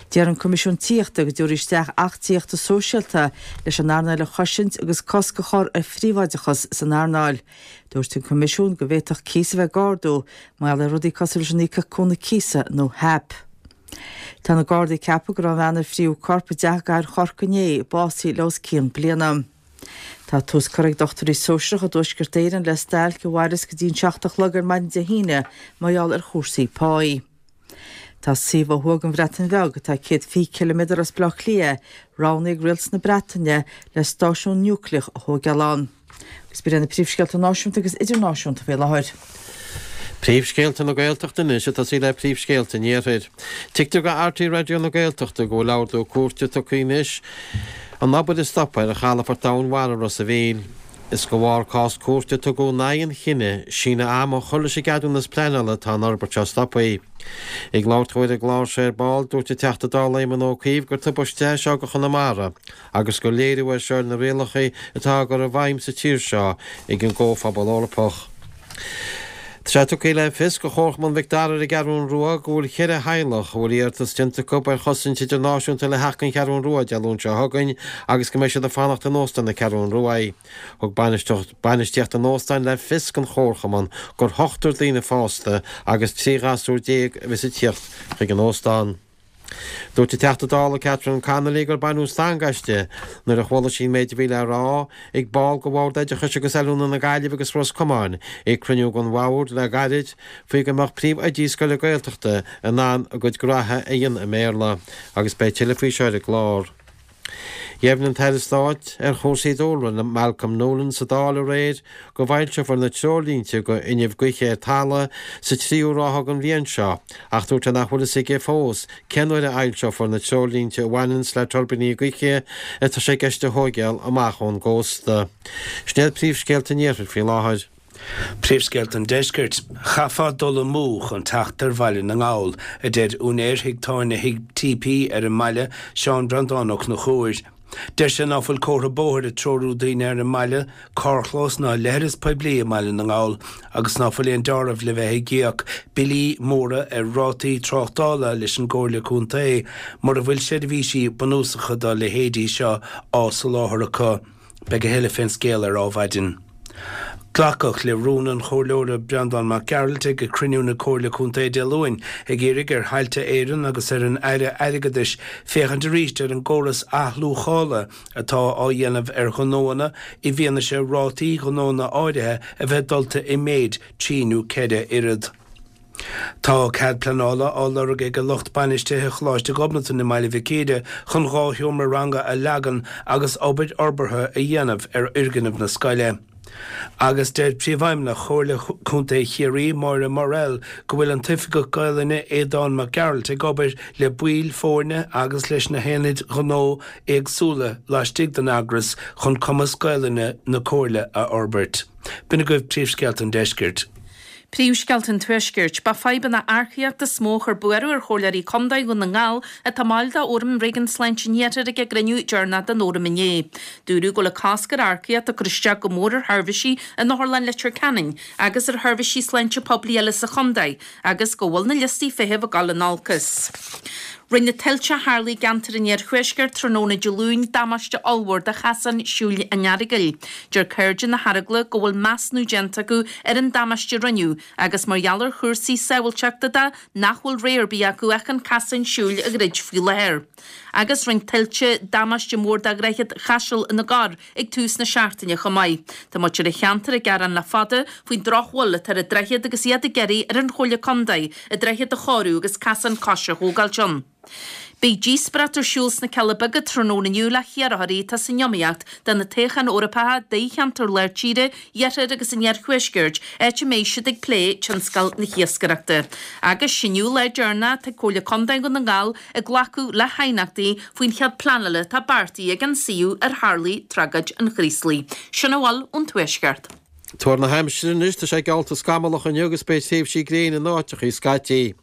S2: Deir an Coimisiún Tithíochta go dtabharfaí isteach Acht Tithíochta Sóisialta leis an earnáil a chosaint agus cosc a chur ar phríobháideachas san earnáil. Dúirt an Coimisiún go bhféadfadh cíos a bheith ag ardú mar gheall ar rudaí cosúil leis an Íocaíocht Cúnamh Cíosa nó HAP. Tá na Gardaí ag ceapadh go raibh an bhean ar fríothadh corp i dteach i gcathair Chorcaí inné básaithe le os cionn bliana. Tá tús curtha ag dochtúirí sóisearacha i dTuaisceart Éireann le stailc a mhairfeas go dtí an 7 a chlog ar maidin Dé hAoine mar gheall ar chúrsaí páí. Tá suíomh ó thuaidh den Bhreatain Bheag, atá 120 ciliméadar as Baile Átha Cliath, roghnaithe ag Rialtas na Breataine le stáisiún núicléach a thóigeáil ann. Agus b'in iad na príomhscéalta náisiúnta agus idirnáisiúnta faoi láthair.
S3: Príomhscéalta na Gaeltachta anois ag tosaí le príomhscéalta an Iarthair. Tuigtear go RTÉ Raidió na Gaeltachta go bhfuil ordú cúirte tugtha anois an obair a stopadh ar chalafort domhainmhara Ros a' Mhíl. Is de bharr cás cúirte a tugadh in aghaidh an chinnidh síneadh ama a chur leis an gceadúnas pleanála atá an fhorbairt seo stoptha. Ag labhairt dó ar an gclár seo ar ball, dúirt an Teachta Dála Éamon Ó Cuív gur tubaiste é seo do Chonamara agus gur léiriú é seo ar na rialacha atá á gcur i bhfeidhm sa tír seo ag an gComhphobal Eorpach. Tá sé tugtha le fios go Chomharchumann Mhic Dara ar an gCeathrún Rua go bhfuil cheithre theaghlach a bhfuil iarratas déanta acu ar chosaint idirnáisiúnta le theacht don Cheathrún Rua Dé Luain seo chugainn agus go mbeidh siad ag fanacht in Óstán na Ceathrún Rua. Thug bainistíocht an óstáin le fios don Chomharchumann gur ochtar daoine fásta agus 13 ghasúr a bheas ag tíocht chuig an óstán. Dúirt an Teachta Dála Catherine Connolly gur baineadh stangadh aisti nuair a chuala sí an méid a bhí le rá ag ball de Bhord Oideachais agus Oiliúna na Gaillimhe agus Ros Comáin ag cruinniú den bhord le gairid faoi go mbeadh príomhoidí scoile Gaeltachta in ann a gcuid graithe a dhéanamh i mBéarla agus beidh tuilleadh faoi seo ar an gclár. Dheimhnigh an tAire Stáit ar chúrsaí dúlra, Malcolm Noolan sa Dáil aréir go bhfoilseofar na treoirlínte do fhuinneamh gaoithe ar talamh sa tríú ráithe den bhliain seo ach dúirt sé nach bhfuil fhios aige fós cén uair a fhoilseofar na treoirlínte a bhaineanns le tuirbíní gaoithe atá sé i gceist a thóigeáil amach ón gcósta. Sin iad príomhscéalta an Iarthair faoi láthair.
S4: Príomhscéalta an Deiscirt. Chaithfeá dul amú chun teacht ar Bhaile na nGall, a deir úinéir thigh tábhairne Thigh TP ar an mbaile, Seán Breandán Ó Conchúir. Deir sé ná fuil comhartha bóthair ag treorú daoine ar an mbaile, carrchlós ná leithreas poiblí i mBaile na nGall agus ná fuil aon deáramh le bheith ag íoc billí móra ar rátaí tráchtála leis an gComhairle Contae mura bhfuil seirbhísí bunúsacha dá leithéidí seo á soláthar acu. Beidh a thuilleadh fén scéal ar Ádhmhaidin. Glacadh le rún an Chomhairleora Breandán Mac Gearailt ag cruinniú na Comhairle Contae Dé Luain ag iarraidh ar Thailte Éireann agus ar an Aire Airgeadais féachaint arís ar an gcóras athluachála atá á dhéanamh ar ghnóanna i bhfianaise rátaí gnóanna áirithe a bheith dulta i méid trí nó ceithre oiread. Tá cead pleanála á lorg ag lucht bainistithe Choláiste Ghobnatan i mBaile Mhic Íre chun 2 sheomra ranga a leagan agus obair fhorbartha a dhéanamh ar fhoirgneamh na scoile. Agus deir Príomhfheidhmeannach Chomhairle Contae Chiarraí, Máire Morrell, go bhfuil an tOifigeach Gaolainne Aodán Mac Gearailt ag obair le baill foirne agus leis na haonaid ghnó éagsúla laistigh den eagras chun cumas Gaolainne na Comhairle a fhorbairt. B'in agaibh príomhscéalta an deiscirt.
S5: Príomhscéalta an Tuaiscirt. Ba fadhbanna earcaíochta is mó a chuir buaireamh ar Chomhairleoirí Contae Dhún na nGall atá ina mbaill de Fhóram Réigiún Sláinte an Iarthair ag a gcruinniú deireanach den Fhóram inné. Dúradh go bhfuil an cosc ar earcaíocht ag cur isteach go mór ar sheirbhísí in Otharlann Leitir Ceanainn agus ar sheirbhísí sláinte poiblí eile sa chontae agus go bhfuil na liostaí feithimh ag dul in olcas. Rinne tuilte a tharla i gceantar an iarthuaiscirt tráthnóna Dé Luain damáiste ollmhór do chasán siúil an Earagail. Deir Cairde na hEaragla go bhfuil measúnú déanta acu ar an damáiste a rinneadh agus mar gheall ar chúrsaí sábháilteachta de nach bhfuil rogha ar bith acu ach an casán siúil a dhruid faoi láthair. Agus rinne tuilte damáiste mór do Dhroichead Chaisil na gCorr ag tús na seachtaine chomh maith. Tá muintir an cheantair ag gearán le fada faoin drochbhail atá ar an droichead agus iad ag iarraidh ar an Chomhairle Contae an droichead a chóiriú agus casán coise a thógáilt ann. Beidh díospóireacht ar siúl sna Cealla Beaga tráthnóna inniu le hiarrthóirí atá san iomaíocht do na toghcháin Eorpacha d'fhosheantar Lár Tíre, Iarthair agus an Iarthuaiscirt, áit a mbeidh siad ag plé tionscal na hiascaireachta. Agus is inniu an lá deireanach atá ag Comhairle Contae Dhún na nGall ag glacadh le haighneachtaí faoin chead pleanála atá beartaithe ag an suíomh ar tharlaigh tragóid an Chraoslaigh. Sin a bhfuil ón Tuaisceart.
S3: Tuar na haimsire anois, tá sé geallta scamallach inniu agus beidh tréimhsí gréine in áiteachaí scaití.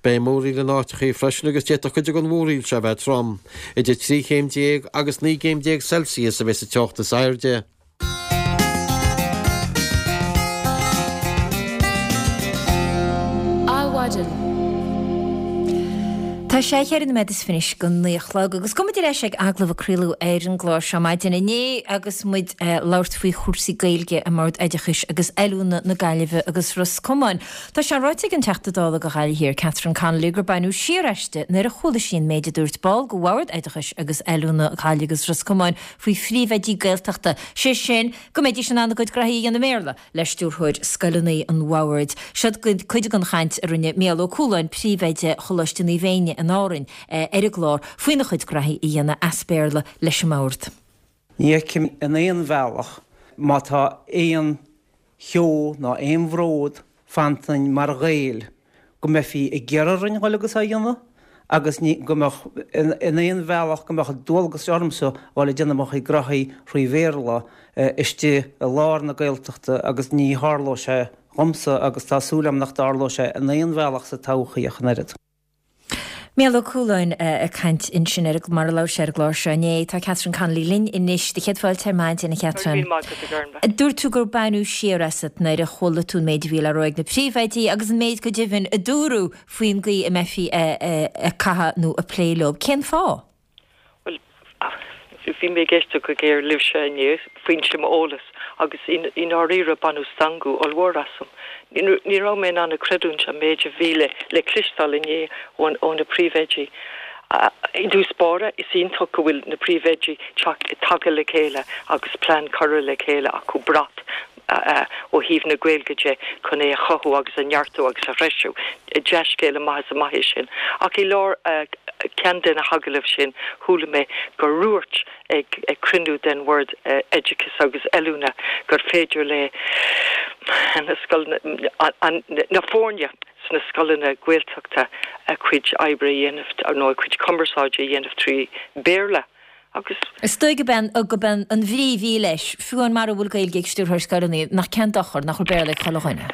S3: Beidh múraíl in áiteachaí freisin agus d'fhéadfadh cuid den mhúraíl seo a bheith trom. Idir 13 chéim agus 19 gcéim Celsius a bheidh sa teocht is airde.
S1: Adhmhaidin. Tá sé cheithre nóiméad is fiche go naoi a chlog agus gabhfaidh muid ar ais ag agallamh a craoladh ar an gclár seo maidin inné agus muid ag labhairt faoi chúrsaí Gaeilge i mBord Oideachais agus Oiliúna na Gaillimhe agus Ros Comáin. Tá sé ráite ag an Teachta Dála do Ghaillimh Thiar, Catherine Connolly, gur baineadh siar aisti nuair a chuala sí an méid a dúirt ball de Bhord Oideachais agus Oiliúna Ghaillimh agus Ros Comáin faoi phríomhoidí Gaeltachta, sé sin, go mbeidís in ann a gcuid graithí a dhéanamh i mBéarla, le stiúrthóir scoileanna an Bhoird. Seo cuid den chaint a rinne Mícheál Ó Cualáin, príomhoide Choláiste Naomh Éinne in Árainn, ar an gclár, faoina chuid graithí a dhéanamh as Béarla leis an mBord.
S10: Ní fheicim in aon bhealach má tá aon cheo ná aon bhród fanta ionainn mar Ghaeil go mbeifí ag iarraidh orainn dhul agus á dhéanamh agus ní go mbeadh in aon bhealach go mbeadh dualgas ormsa dhul ag déanamh mo chuid graithí thrí Bhéarla istigh i lár na Gaeltachta agus ní tharlóidh sé dhomsa agus tá súil agam nach dtarlóidh sé in aon bhealach sa todhchaí ach an oiread.
S1: Mícheál Ó Cualáin ag caint ansin ar mar a labhair sé ar an gclár seo inné. Tá Catherine Connolly linn anois. Do chéad fáilte ar maidin, a Chatherine.
S11: Go raibh míle maith agat, a Ghormfhlaith.
S1: Dúirt tú gur baineadh siar asat nuair a chuala tú an méid a bhí le rá ag na príomhoidí agus an méid go deimhin a dúradh faoin gcaoi a mbeifí ag caitheamh nó ag plé leo. Cén fáth?
S11: Bhuel, bhí mé ag éisteacht go géar libhse inné, foinse m'eolas, agus i ndáiríre baineadh stangadh ollmhór asam. Ní raibh mé in ann a chreidiúint an méid a bhí le cloisteáil inné ó na príomhoidí. I dtús báire, is iontach go bhfuil na príomhoidí tagtha le chéile agus plean curtha le chéile acu, brat ó thaobh na Gaeilge de chun é a chothú agus a neartú agus a threisiú. Dea-scéal amach is amach é sin. Ach i lár ceann de na hagallaimh sin chuala mé gur dhúirt ag cruinniú den Bhord Oideachais agus Oiliúna gur féidir le na scoileanna, na foirne sna scoileanna Gaeltachta a gcuid oibre a dhéanamh nó a gcuid cumarsáide a dhéanamh trí Bhéarla. Agus.
S1: Is dóigh gurb é gurb é an bhrí a bhí leis, fiú amháin mara bhfuil Gaeilge ag stiúrthóir scoileanna, nach cén dochar nach bhfuil Béarla ag chuile dhuine.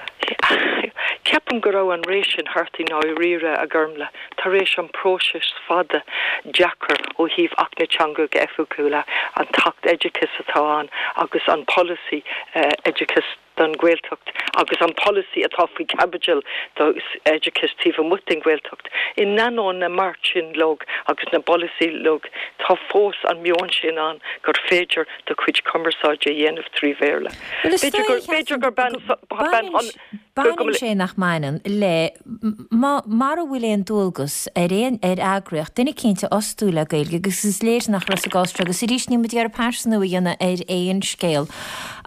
S11: Ceapaim go raibh an ré sin thart i ndáiríre, a Ghormfhlaith, tar éis an próiseas fada deacair ó thaobh Acht na Teangacha Oifigiúla, an tAcht Oideachais atá ann agus an polasaí oideachais. don Ghaeltacht agus an polasaí atá faoi chaibidil do oideachas taobh amuigh den Ghaeltacht. In ainneoin na mbeart sin uilig agus na bpolasaí uilig, tá fós an meon sin ann gur féidir do chuid cumarsáide a dhéanamh 3 Bhéarla. B'fhéidir gur bean
S1: Baineann sé nach mbaineann le mara bhfuil aon dualgas ar aon ar eagraíocht duine eicínt a fhostú le Gaeilge agus is léir nach raibh sa gcás seo agus arís níl muid ag iarraidh pearsanú a dhéanamh ar aon scéal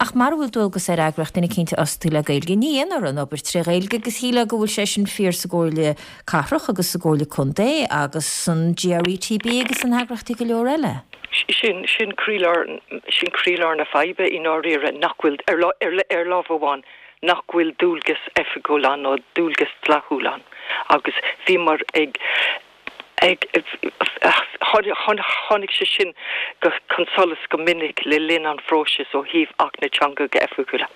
S1: ach mara bhfuil dualgas ar eagraíocht duine eicínt a fhostú le Gaeilge ní dhéanfar an obair tré Ghaeilge agus shílfeá go bhfuil sé sin fíor sa gComhairle Cathrach agus sa gComhairle Contae agus san GRETB agus in eagraíochtaí go leor eile.
S11: Sin sin croílár sin croílár na faidhbe i ndáiríre nach bhfuil ar ar ar lámh amháin nach bhfuil dualgas oifigiúil ann nó dualgas dleathúil ann agus bhíomar ag ag tháinig sé sin go chun solais go minic le linn an phróisis ó thaobh Acht na dTeangacha Oifigiúla.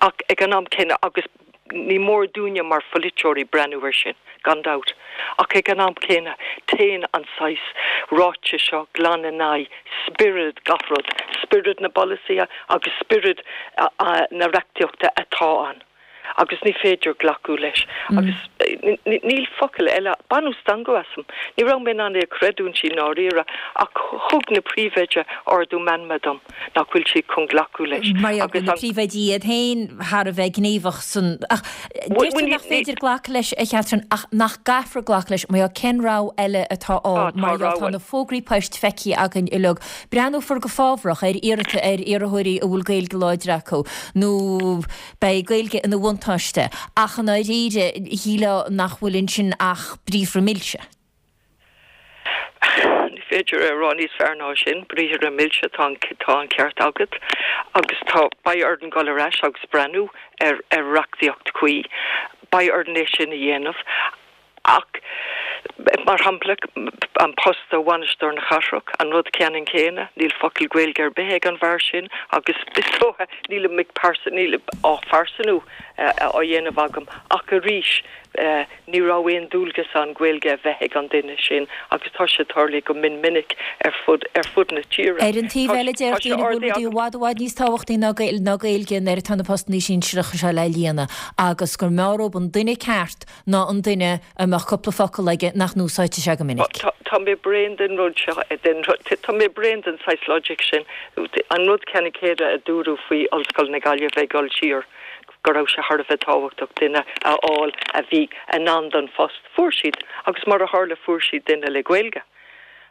S11: Ach ag an am céanna agus Ní mór dúinne mar pholaiteoirí breathnú air sin, gan dabht, ach ag an am céanna, téann an saghas ráiteas seo glan in aghaidh spiorad gach rud, spiorad na bpolasaithe agus spiorad na reachtaíochta atá ann, agus ní féidir glacadh leis. Agus níl focal eile, baineadh stangadh asam. Ní raibh mé in ann é a chreidiúint i ndáiríre, ach thug na príomhoidí ardú meanma dom. nach bhfuil siad chun glacadh leis.
S1: Mar gheall go bhfuil na príomhoidí iad féin thar a bheith gníomhach san. Ach deir tú nach féidir glacadh leis, a Chatherine, ach nach gcaithfear glacadh leis, mar gheall cén rogha eile atá ann, mar gheall tá na fógraí poist feicthe againn uilig. Breathnófar go fábharach ar iarrata ar iarrthóirí a bhfuil Gaeilge láidir acu, nó beidh Gaeilge ina bhuntáiste, ach i ndáiríre, shílfeá nach bhfuil ansin ach briathra milse.
S11: Ní féidir é a rá níos fearr ná sin, briathra milse, tá an tá an ceart agat. Agus tá, beidh orainn dul ar ais agus breathnú ar ar reachtaíocht chuí. Beidh orainn é sin a dhéanamh. Ach, mar shampla, an post do bhainisteoir na cathrach, an rud ceannann céanna, níl focal Gaeilge ar bith ag an bhfear sin agus is dócha, nílim ag pearsa, níl á phearsanú á dhéanamh agam ach arís, Ní raibh aon dualgas ann Gaeilge a bheith ag an duine sin agus tá sé tarlaithe go mion minic ar fud ar fud na tíre.
S1: Ar an taobh eile, deir daoine go bhfuil rudaí i bhfad i bhfad níos tábhachtaí ná ná Gaeilge nuair atá na postanna sinsearacha seo le líonadh agus gur mb'fhearr dóibh an duine ceart ná an duine a mbeadh cúpla focal aige nach n-úsáidfeadh sé go minic.
S11: Tá mé bréan den rud seo, den rud, tá mé bréan den saghas logic sin. An rud ceannann céanna a dúradh faoi Ollscoil na Gaillimhe ag dul siar. go raibh sé thar a bheith tábhachtach duine a fháil a bhí in ann don phost. Fuair siad, agus mar a tharla fuair siad duine le Gaeilge.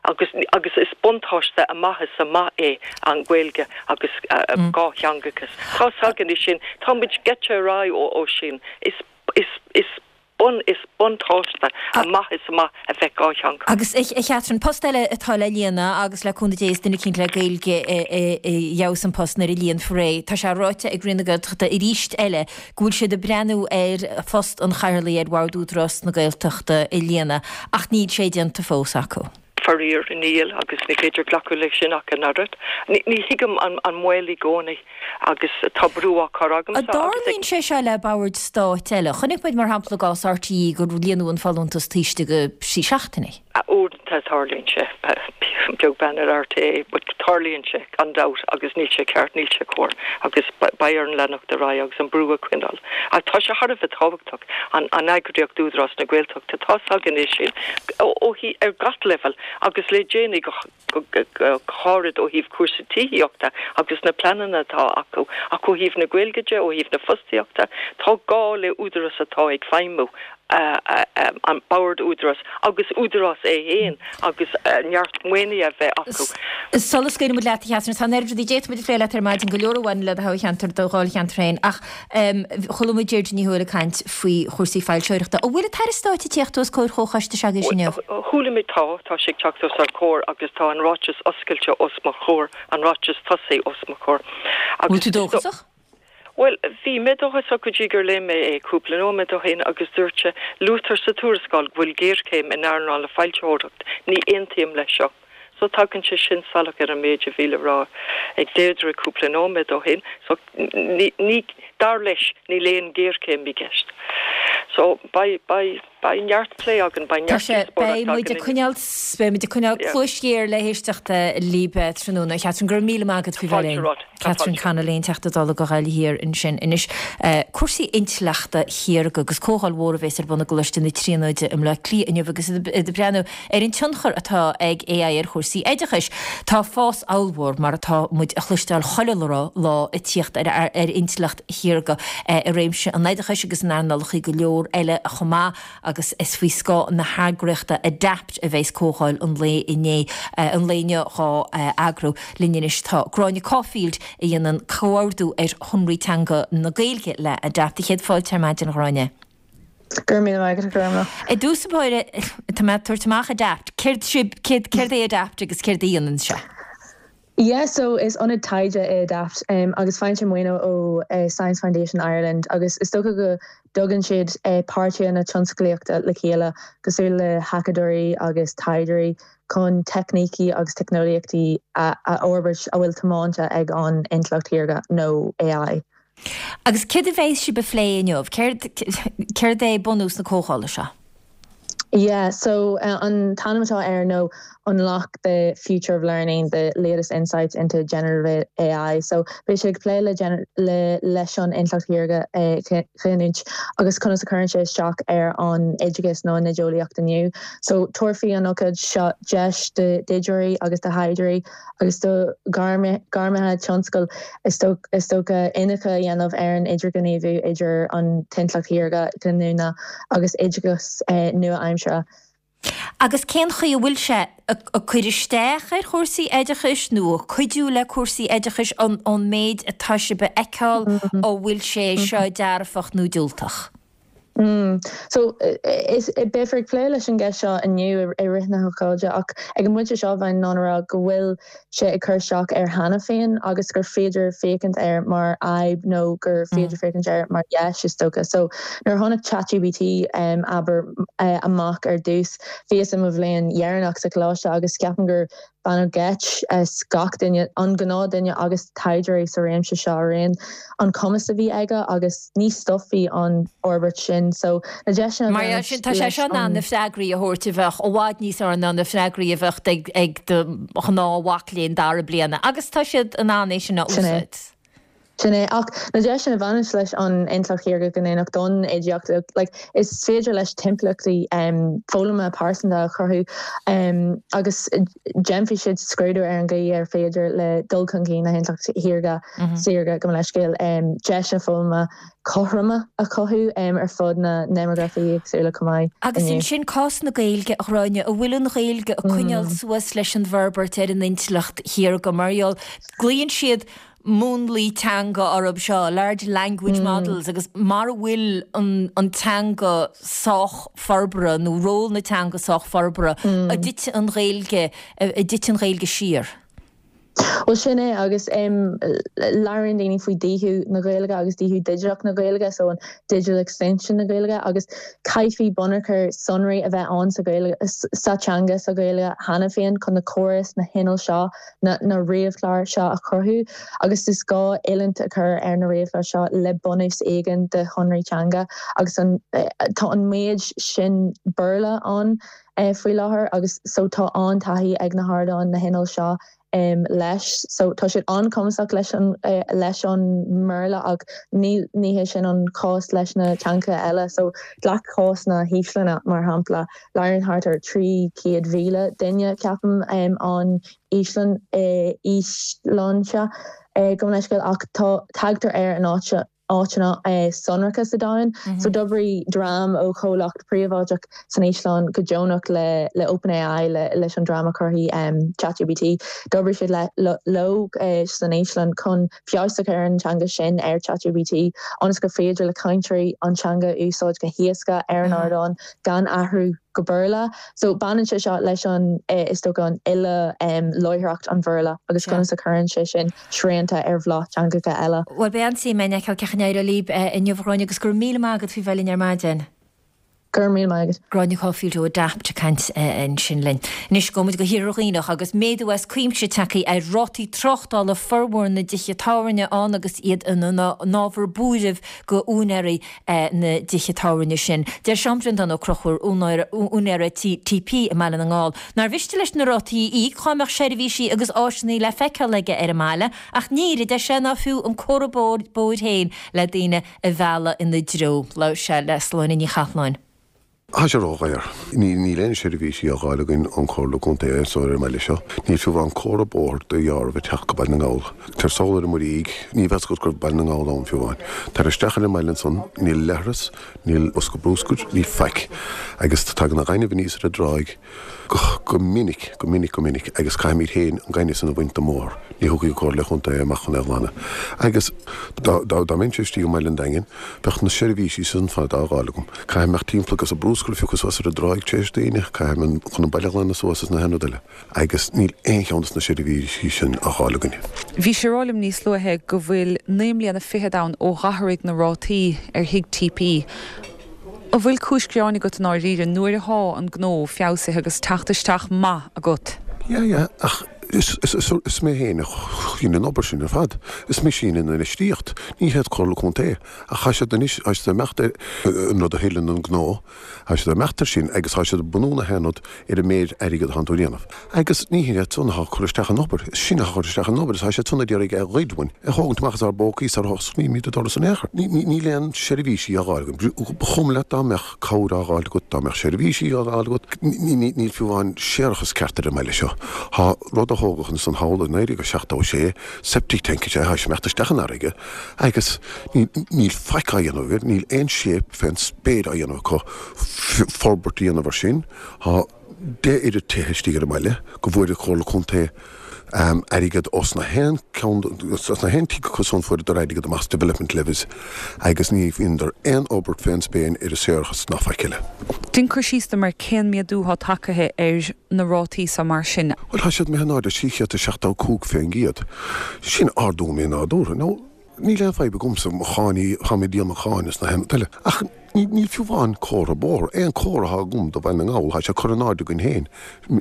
S11: Agus, agus is buntáiste amach is amach é an Ghaeilge agus dhátheangachas. Tá's againn é sin, tá muid gaibhte ar aghaidh ó sin. Is, is, is. bun, is buntáiste amach is amach a bheith dhátheangach.
S1: Agus, a Chatherine, post eile atá le líonadh agus le cúnamh Dé is duine eicínt le Gaeilge a gheobhas an post nuair a líonfar é. Tá sé ráite ag Roinn na Gaeltachta arís eile go bhfuil siad ag breathnú ar phost an Chathaoirligh ar Bhord Údarás na Gaeltachta a líonadh ach níl sé déanta fós acu.
S11: Faraor, níl, agus ní féidir glacadh leis sin ach an oiread. Ní thuigim an moill i gcónaí agus tá brú á chur agamsa
S1: agus ag. An dtarlaíonn sé seo le boird stáit eile? Chonaic muid, mar shampla, i gcás RTÉ gur líonadh an folúntas taobh istigh de thrí seachtainí.
S11: Uaireanta tarlaíonn sé, beag beann ar RTÉ, but tarlaíonn sé, gan dabht, agus níl sé ceart, níl sé cóir agus beidh orainn leanacht ar aghaidh agus an brú a choinneáil. Ach tá sé thar a bheith tábhachtach. an eagraíocht Údarás na Gaeltachta, tá's againn é sin ó thaobh ar gach leibhéal agus le déanaí go háirid ó thaobh cúrsaí tithíochta agus na pleananna atá acu ach ó thaobh na Gaeilge de, ó thaobh na fostaíochta, tá gá le údarás atá ag feidhmiú, an Bord Údarás agus údarás é féin agus neart maoinithe a bheith acu.
S1: Sula scaoileann muid leat, a Chatherine, tá an oiread rudaí d'fhéadfadh muid a phlé leat ar maidin, go leor a bhaineann le do thoghcheantar, do dháilcheantar féin ach Chuala muid Deirdre Ní Thuathail ag caint faoi chúrsaí foilsitheoireachta. An bhfuil an tAire Stáit ag tíocht os comhair chomhchoiste s'agaibhse inniu?
S11: Chuala mé, tá, tá sé ag teacht os ár gcomhair agus tá an ráiteas oscailte os mo chomhair, an ráiteas tosaigh os mo chomhair.
S1: Bhfuil tú dóchasach?
S11: Bhuel, bhí mé dóchasach go dtí gur léigh mé é cúpla nóiméad ó shin agus dúirt sé, luaitear sa tuarascáil go bhfuil géarchéim in earnáil na foilsitheoireachta. Ní aontaím leis seo. So tagann sé sin salach ar an méid a bhí le rá ag Deirdre cúpla nóiméad ó shin. So ní, ní, dar leis, níl aon ghéarchéim i gceist. So beidh, beidh. Beidh neart plé againn, beidh
S1: Tá
S11: neart
S1: sé,
S11: díospóireacht
S1: beidh muid
S11: againn
S1: ag coinneáil, beidh muid ag coinneáil cluais ghéar le héisteacht libh tráthnóna. A Chatherine, go raibh míle maith agat faoi bheith
S11: Fáilte
S1: linn.
S11: romhat. Tá
S1: Catherine
S11: fáilte.
S1: Connolly, an Teachta Dála do Ghaillimh Thiar ansin. Anois, cúrsaí intleachta shaorga agus comhdháil mhór a bhéas ar bun i gColáiste na Tríonóide i mBleá Cliath inniu agus iad ag breathnú ar an tionchar atá ag AI ar chúrsaí oideachais. Tá fás ollmhór, mar atá muid a chloisteáil chuile lá, ag tíocht ar ar intleacht shaorga i réimse an oideachais agus in earnálacha go leor eile chomh maith agus is faoi scáth na heagraíochta Adapt a bheas comhdháil an lae inné, an lae inniu dhá eagrú. Linn anois tá Gráinne Caulfield a dhéanann comhordú ar shonraí teanga na Gaeilge le Adapt. A chéad fáilte ar maidin, a Ghráinne.
S12: Go raibh míle maith agat, a Ghormlaith.
S1: I dtús báire, tá mé ag tabhairt amach Adapt. Céard sibh, céard, céard é Adapt agus céard a dhéanann sé?
S12: Yeah, so is ionad taighde é Adapt agus faigheann sé maoiniú ó Science Foundation Ireland agus is dócha go dtugann siad páirtithe na tionsclaíochta le chéile cosúil le hacadóirí agus taighdeoirí chun teicnící agus teicneolaíochtaí a fhorbairt a bhfuil tiomáinte ag an intleacht shaorga nó AI.
S1: Agus céard a bheas sibh a phlé inniu? Céard, céard é bunús na comhdhála seo?
S12: Yeah, so an t-ainm atá air nó Unlock the Future of Learning, the latest insights into generative AI. So beidh sé ag plé le le leis an intleacht shaorga a ghiniúint agus conas a chuireann sé isteach ar an oideachas nó an oideolaíocht inniu. So tabharfaidh an ócáid seo deis d'oideoirí agus do thaighdeoirí agus do ghairmithe tionscail is dócha iniúchadh a dhéanamh ar an idirghníomhú idir an t-intleacht shaorga ghiniúna agus oideachas nua-aimseartha.
S1: Agus cén chaoi a bhfuil sé ag cur isteach ar chúrsaí oideachais nó ag cuidiú le cúrsaí oideachais ón méid atá sibh a fheiceáil, an bhfuil sé seo dearfach nó diúltach?
S12: So, is, beifear ag plé leis an gceist seo inniu i rith na hócáide ach ag an bpointe seo bheinn in ann a rá go bhfuil sé ag cur isteach air cheana féin agus gur féidir féachaint air mar fhadhb nó gur féidir féachaint air mar dheis is dócha. So, nuair a tháinig ChatGPT, abair, amach ar dtús, bhíos i mo bhliain dheireanach sa choláiste agus ceapaim gur Baineadh geit as gach duine, an gnáthdhuine agus taighdeoirí sa réimse seo araon, an cumas a bhí aige agus ní stopfaidh an fhorbairt sin. So, na deiseanna a
S1: Mar
S12: bhaineann
S1: sin, tá sé
S12: leis
S1: seo in ann
S12: an.
S1: na freagraí a thabhairt a bheadh i bhfad níos fearr ná na freagraí a bheadh ag do ghnáthmhac léinn dara bliana agus tá siad in ann é sin a
S12: Sin é.
S1: úsáid.
S12: Sin é. Ach na deiseanna a bhaineann leis an intleacht shaorga ghiniúnach don oideacht, like, is féidir leis timpeallachtaí foghlama pearsanta a chruthú agus déanfaidh siad scrúdú ar an gcaoi ar féidir le dul chun cinn na hintleachta shaorga, saorga, gabh mo leithscéal, deiseanna foghlama cothroma a chothú ar fud na ndéimeagrafaií éagsúla chomh maith.
S1: Agus ansin cás na Gaeilge, a Ghráinne, an bhfuil an Ghaeilge ag coinneáil suas leis an bhforbairt ar an intleacht shaorga mar gheall, glaonn siad múnlaí teanga orthu seo, large language models, agus mara bhfuil an teanga sách forbartha nó ról na teanga sách forbartha, an dtitfidh an Ghaeilge, an dtitfidh an Ghaeilge siar?
S12: Bhuel sin é agus labhraíonn daoine faoi dhíothú na Gaeilge agus díothú digiteach na Gaeilge, so an digital extinction na Gaeilge agus caithfidh bunachar sonraí a bheith ann sa Ghaeilge, sa teanga sa Ghaeilge cheana féin chun na córais, na hinnill seo na ríomhchláir seo a chruthú agus is gá oiliúint a chur ar na ríomhchláir seo le bunús éigin de shonraí teanga agus an tá an méid sin Béarla ann faoi láthair agus so tá an-taithí ag na hardáin, na hinnill seo leis. So tá siad an-chumasach leis an leis an mBéarla ach ní ní hé sin an cás leis na teangacha eile. So glac cás na hÍoslainne mar shampla. Labhraíonn thart ar 300,000 duine, ceapaim, an Íoslainn, Íoslainnise, gabh mo leithscéal, ach tá, tagtar air in áiteanna sonracha sa domhan. So d'oibrigh dream ó chomhlacht príobháideach san Íoslainn go deonach le le OpenAI, le leis an dream a chruthaigh ChatGPT. D'oibrigh siad le leo san Íoslainn chun feabhas a chur ar an teanga sin ar ChatGPT ionas gur féidir le cainteoirí an teanga a úsáid go héasca ar an ardán gan athrú go Béarla. So baineann sé seo leis an, is dócha, an fhilleadh láithreacht an Bhéarla agus conas a chuireann sé sin srianta ar bhláth teangacha eile.
S1: Bhuel, beidh an-suim againn a fheiceáil cén chaoi a n-éireoidh libh inniu, a Ghráinne, agus go raibh míle maith agat faoi bheith linn ar maidin.
S12: Go raibh míle maith agat.
S1: Gráinne Caulfield ó Adapt ag caint ansin linn. Anois gabhfaidh muid go hIarthar Dhuibhneach agus méadú as cuimse tagtha ar rátaí tráchtála formhór na dtithe tábhairne ann agus iad ina n-ábhar buairimh go úinéirí na dtithe tábhairne sin. Deir Seán Breandán Ó Conchúir, úinéara tí TP i mBaile na nGall, nár mhiste leis na rátaí a íoc dhá mbeadh seirbhísí agus áiseanna le feiceáil aige ar an mbaile ach níl, a deir sé, ná fiú an comhartha bóthair féin le daoine a mhealladh ina dtreo. Labhair sé le Sláine Ní Chathalláin.
S13: Tá sé ródhaor. Níl aon seirbhísí á dh'fháil againn ón Chomhairle Contae anso ar an mbaile seo. Níl fiú amháin comhartha bóthair do dheáramh ag teacht go Baile na nGall. Tar sall ar an Muirígh, ní bheadh fhios agat go raibh Baile na nGall ann fiú amháin. Tar isteach ar an mbaile ansan, níl leithreas, níl bosca brúscair, níl faic. Agus tagann an gaineamh aníos ar an dtráigh. Go minic, go minic, go minic, agus caithfimid féin an gaineamh san a bhaint den mbóthar, ní thiocfaidh an Comhairle Chontae amach chun é a ghlanadh. Agus dá, dá, dá mbeinnse istigh i mBaile an Daingin, bheadh na seirbhísí san fad á dh'fháil agam. Caithfidh mé imeacht timpeall agus an brúscar a phiocadh suas ar an dtráigh tar éis daoine, caithfidh mé chun an baile a ghlanadh suas is na haon rud eile. Agus níl aon cheann des na seirbhísí sin á dh'fháil againn.
S14: Bhí sé ag rá liom níos luaithe go bhfuil 9 mbliana fichead ann ó dh'athraigh na rátaí ar thigh TP. An bhfuil cúis gearáin agat i ndáiríre nuair athá an gnó feabhsaithe agus teacht isteach maith agat?
S13: Yeah, yeah, ach is, is, is, is mé féin a dhein an obair sin ar fad. Is mise a dhein an infheistíocht. Ní hiad Comhairle Contae. Ach tá siad anois, tá siad ag imeacht ar an rud a thuilleann an gnó, tá siad ag imeacht ar sin agus tá siad ag bunú na haon rud ar an méid airgead atánn tú a dhéanamh. Agus ní hiad san atá ag cur isteach an obair, is sinne atá ag cur isteach an obair, is tá siad san ag iarraidh é a ghoid uainn, é a thógaint amach as ár bpócaí sar a osclaímid an doras in aon chor. Níl aon seirbhísí á dh'fháil againn. Ba chuma leat dá mbeadh cabhair á dh'fháil agat, dá mbeadh seirbhísí á dh'fháil agat, níl fiú amháin séarachas ceart ar an mbaile seo. Tá rud a thógadh ansan thall i 1976, septic tank is ea, tá sé ag imeacht isteach an fharraige agus níl faic á dhéanamh air, níl aon shape fén spéir á dhéanamh acu forbairt a dhéanamh ar sin. Tá. 10 oiread tithe istigh ar an mbaile go bhfuair an Chomhairle Contae airgead ós na haon ceann os na haon tigh acu san fuaireadar airgead amach as development levies agus ní dheineadar aon fhorbairt fén spéin ar an séarachas ná faic eile.
S14: Déan cur síos dom ar cén méadú thá tagtha ar na rátaí so mar sin.
S13: Bhuel tá siad imithe in airde 375 fén gcéad. Sin ardú mí-nádúrtha. Now Níl aon fadhb agamsa, mo cháin, tá mé ag díol mo cháin is na haon rud eile. Ach níl fiú amháin comhartha bóthair, aon comhartha atá agam do Bhaile na nGall, tá sé curtha in airde againn féin,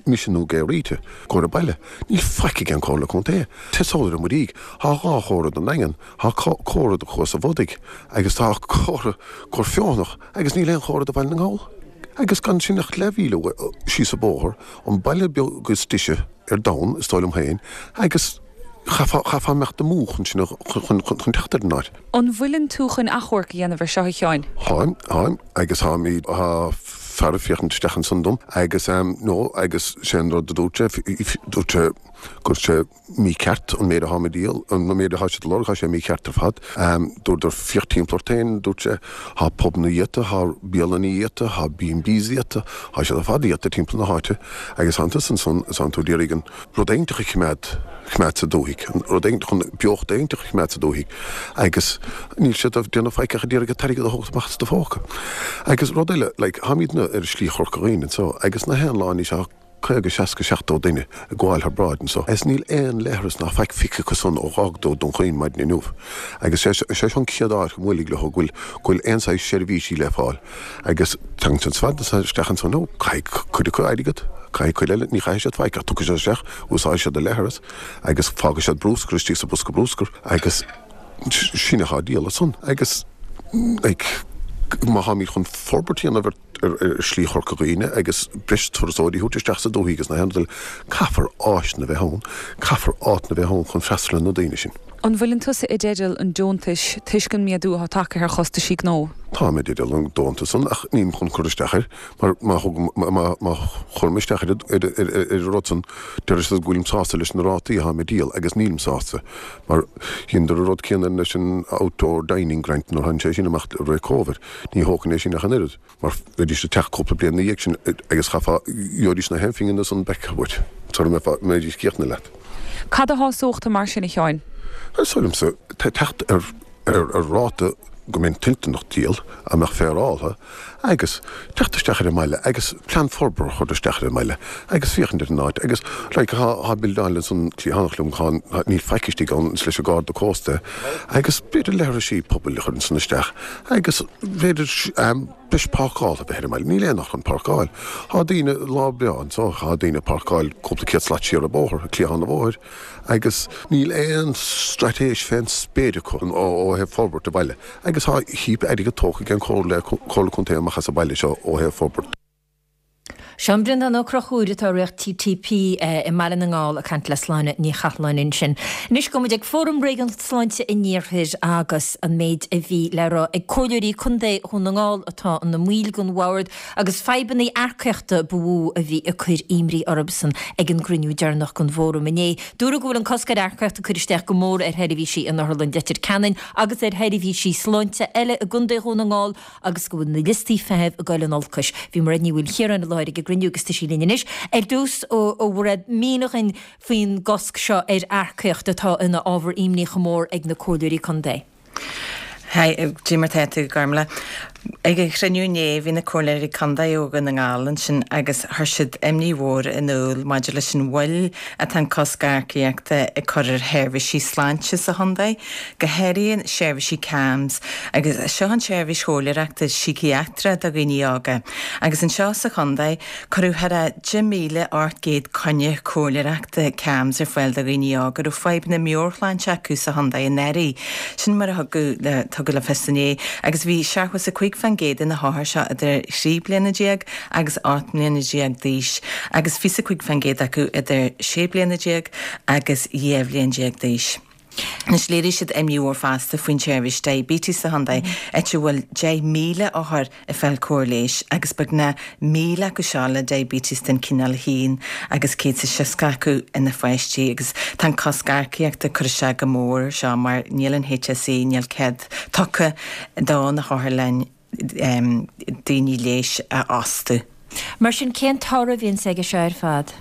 S13: mise nó Gay Rita, comhartha baile. Níl faic ag an Comhairle Contae. Téigh sall ar an Muirígh, tá 2 chomhartha don Daingean, tá comhartha do Chuas an Bhodaigh agus tá comhartha Gort Feothanach agus níl aon chomhartha do Bhaile na nGall. Agus gan sin ach leathmhíle síos an bóthar, an baile beag is deise ar domhan, is dóigh liom féin, agus. Chaithfeá imeacht amú chun sin a, chun, chun teacht ar an áit.
S14: An bhfuileann tú chun achomharc a dhéanamh ar seo, a Sheáin?
S13: Táim, táim, agus táimid, tá fear ag féachaint isteach ansan dom agus ehm, no, agus sé an rud a dúirt sé, dúirt sé go raibh sé mícheart an méid atáim ag díol, an méid atá siad ag lorg, tá sé mícheart ar fad. Ehm, dúradar féach timpeall ort féin, dúirt sé, tá pubanna iata, tá bialanna iata, tá B&Bs iata, tá siad ar fad iata timpeall na háite agus tánn tusa ansan is tánn tú ag iarraidh an, rud éiginteach a choimeád, choimeád sa dúthaigh, an rud éiginteach chun beocht éiginteach a choimeád sa dúthaigh agus níl siad ag déanamh faic ach ag iarraidh an t-airgead a thógaint amach as do phóca. Agus rud eile, like, táimidne ar Shlí Chorca Dhuibhne anseo agus na haon lá anois tá 50, 60, 70 duine ag gabháil thar bráid anseo agus níl aon leithreas ná faic feicthe acu san ó dh'fhágadar Dún Chaoin maidin inniu. Agus sé, sé seo an chéad áit go mbuailfidh leo go bhfuil, go bhfuil aon saghas seirbhísí le fáil. Agus tagann siad fad isteach ansan, ó, caithfidh cuid acu airgead, caithfidh cuid eile, ní chaithfidh siad faic ach tiocfaidh siad isteach, úsáidfidh siad an leithreas agus fágfaidh siad brúscar istigh sa bhosca brúscair agus sin atá á díol ansan. Agus, like, má tháimid chun forbairt a dhéanamh ar, ar, ar Shlí Chorca Dhuibhne agus breis turasóirí a thabhairt isteach sa dúthaigh agus na haon rud eile, caithfear áiseanna a bheith ann, caithfear áiteanna a bheith ann chun freastal ar na daoine sin.
S14: An bhfuileann tusa i dteideal an deontais toisc an méadú atá tagtha ar chostaisí gnó?
S13: Táim i dteideal an deontais san ach nílim chun cur isteach air mar má thugaim, má, má chuirim isteach ar, ar, ar, ar an rud san déarfaidh siad go bhfuilim sásta leis na rátaí atáim ag díol agus nílim sásta mar dheineadar an rud céanna leis an outdoor dining grant nuair a tháinig sé sin amach i rith Covid. Ní thógfainn é sin ach an oiread. Mar bheidís ag teacht cúpla bliain ina dhiaidh sin agus chaithfeá, gheobhaidís na haon phingin ansan back uait sara mbeifeá, mbeidís críochnaithe leat.
S14: Cad a shásódh tú mar sin, a Sheáin?
S13: Is dóigh liomsa, teacht ar, ar, ar ráta. go mbeinn toilteanach díol, a mbeadh féaráltha, agus teacht isteach ar an mbaile agus plean forbartha a chur isteach ar an mbaile agus féachaint ar an áit agus like thá, thá bildeáil ansan cliathánach liom, thá, thá, níl faic istigh ann, is leis an Garda Cósta agus b'fhéidir leithrisí pobail a chur ansan isteach agus b'fhéidir ehm breis páirceála a bheith ar an mbaile, níl aon áit chun páirceáil. Thá daoine, lá breá anso, thá daoine ag páirceáil cúpla céad slat siar an bóthar, cliathán an bhóthair. Agus níl aon straitéis fén spéir acu ó thaobh forbairt an bhaile. Agus tá heap airgead tógtha ag an Comhairle, Comhairle Contae amach as an baile seo ó thaobh forbairt.
S1: Seán Breandán Ó Conchúir atá i riocht TTP i mBaile na nGall ag caint le Sláine Ní Chathalláin ansin. Anois gabhfaidh muid ag Fóram Réigiún Sláinte an Iarthair agus an méid a bhí le rá ag Comhairleoirí Contae Dhún na nGall atá ina mbaill den bhord Agus fadhbanna earcaíochta ba mhó a bhí ag cur imní orthusan ag an gcruinniú deireanach den bhfóram inné. Dúradh go bhfuil an cosc ar earcaíocht ag cur isteach go mór ar sheirbhísí in Otharlann Leitir Ceanainn agus ar sheirbhísí sláinte eile i gContae Dhún na nGall agus go bhfuil na liostaí feithimh ag dul in olcais. Bhí Mairéad Ní Mhaoilchiaráin i láthair ag an gcruinniú agus tá sí linn anois. Ar dtús, a Mhairéad, mínigh dhuinn faoin gcosc seo ar earcaíocht atá ina ábhar imní chomh mór ag na comhairleoirí contae.
S15: Haigh, cad é mar tá tú, Gormlaith. Ag an chruinniú inné bhí na comhairleoirí contae ó Dhún na nGall ansin agus chuir siad imní mhór in iúl maidir leis an mhoill atá an cosc earcaíochta ag cur ar sheirbhísí sláinte sa chontae, go háirithe seirbhísí CAMHS agus seo an tseirbhís chomhairleoireachta síciatrach do dhaoine óga. Agus anseo sa chontae, Cuireadh thar a 10,800 coinne comhairleoireachta CAMHS ar fáil do dhaoine óga a raibh fadhbanna meabhairshláinte acu sa chontae anuraidh. Sin mar a thugadh le tugadh le fios inné agus bhí 75% de na hothair seo idir thrí bliana déag agus 18 mbliana d'aois agus 25% acu idir sé bliana déag agus 12 bhliain d'aois. Anois léirigh siad imní mhór fosta faoin tseirbhís diabetes sa chontae, áit a bhfuil 10,000 othar ag fáil cóir leighis agus beagnach 1,000 acu seo le diabetes den chineál 1 agus 160 acu ina pháistí agus tá an cosc earcaíochta ag cur isteach go mór air seo mar níl an HSE, níl cead tugtha do na hotharlainn daoine leighis a fhostú.
S1: Mar sin, cén toradh a bhíonns aige seo ar fad?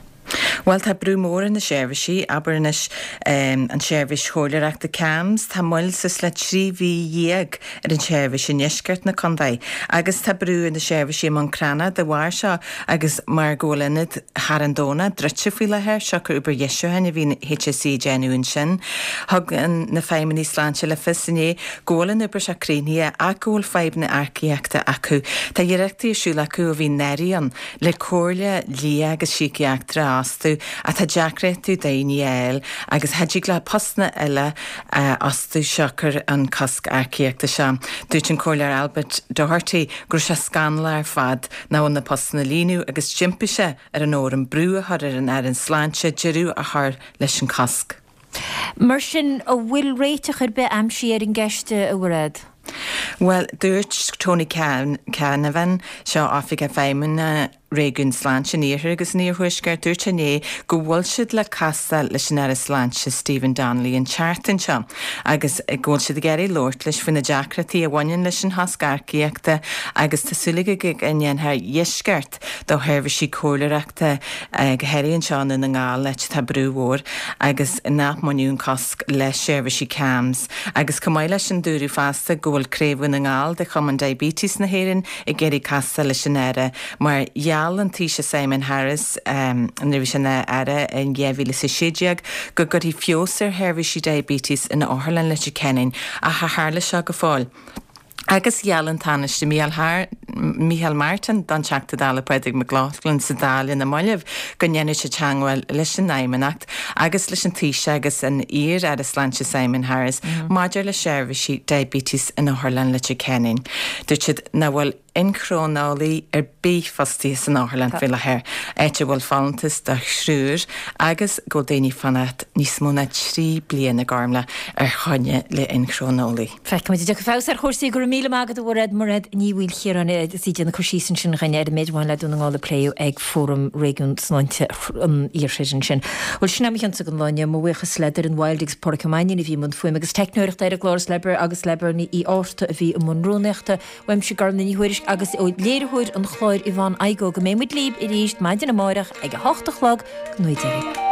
S15: Bhuel, tá brú mór ar na seirbhísí, abair anois an tseirbhís chomhairleoireachta CAMHS, tá moill suas le 13 mhí ar an tseirbhís i ndeisceart na contae agus tá brú ar na seirbhísí i mBun Cranncha de bharr seo agus mar go bhfuil ionad Charn Domhnach druidte faoi láthair, siocair obair dheisiúcháin a bhí an HSE ag déanamh ansin. Thug na feidhmeannaigh sláinte le fios inné go bhfuil an obair seo críochnaithe ach go bhfuil fadhbanna earcaíochta acu. Tá iarrachtaí ar siúl acu ó bhí an tAire ann le comhairle lia agus síciatra a fhostú ach tá deacrachtaí daoine a fháil agus cha dtig leo postanna eile a fhostú siocair an cosc earcaíochta seo. Dúirt an Comhairleoir Albert Doherty go raibh sé scannalach ar fad nach bhfuil na postanna a líonadh agus d'impigh sé ar an fhóram brú a chur ar an Aire Sláinte deireadh a chur leis an cosc.
S1: Mar sin, an bhfuil réiteach ar bith aimsithe ar an gceist, a Mhairéad?
S15: Bhuel, dúirt Tony Canavan, seo Oifigeach Feidhmeanna Réigiún Sláinte an Iarthair agus an Iarthuaiscirt, dúirt sé inné go bhfuil siad le castáil leis an Aire Sláinte Stephen Donnelly an tseachtain seo agus go bhfuil siad ag iarraidh labhairt leis faoi na deacrachtaí a bhaineann leis an chosc earcaíochta agus tá súil aige go ndéanfar deisceart do sheirbhísí comhairleoireachta, go háirithe anseo i nDún na nGall, áit atá brú mhór agus nach mbainfeadh an cosc le seirbhísí CAMHS. Agus chomh maith leis sin dúradh fosta go bhfuil Craobh Dhún na nGall de Chumann Diabetes na hÉireann ag iarraidh castáil leis an Aire mar gheall an Taoiseach Simon Harris nuair a bhí sé ina Aire in 2016 go gcuirfí feabhas ar sheirbhísí diabetes in Otharlann Leitir Ceanainn ach char tharla seo go fóill. Agus gheall an Tánaiste Micheál Martin don Teachta Dála Pádraig Mac Lochlainn sa Dáil ina mallaibh go ndéanfadh sé teagmháil leis an Fheidhmeannacht agus leis an Taoiseach agus an iar-Aire Sláinte Simon Harris maidir le seirbhísí diabetes in Otharlann Leitir Ceanainn. Dúirt siad nach bhfuil inchróineolaí ar bith fostaithe san otharlann faoi láthair, áit a bhfuil folúntas do thriúr agus go bhfuil daoine ag fanacht níos mó ná 3 bliana, Gormlaith, ar choinne le inchróineolaí.
S1: Feicfimid an dtiocfaidh feabhas ar chúrsaí. Go raibh míle maith agat a Mhairéad, Mairéad Ní Mhaoilchiaráin agus í ag déanamh cur síos ansin dhúinn ar an méid a bhain le Dún na nGall a pléadh ag Fóram Réigiún Sláinte an Iarthair ansin. Bhuel, sin é mo chionsa don lá inniu. Mo bhuíochas le Doireann Wilde agus Páraic Ó Mainnín a bhí i mbun fuaime agus teicneoireachta ar an gclár is le agus le Bernie Uí Fhátharta a bhí i mbun rúnaíochta. Uaimse Gormlaith Ní Thuairisg agus ó léiritheoir an chláir Yvonne Igoe go mbeidh muid libh arís maidin amárach ag a hocht a chlog go ngnóthaí Dia libh.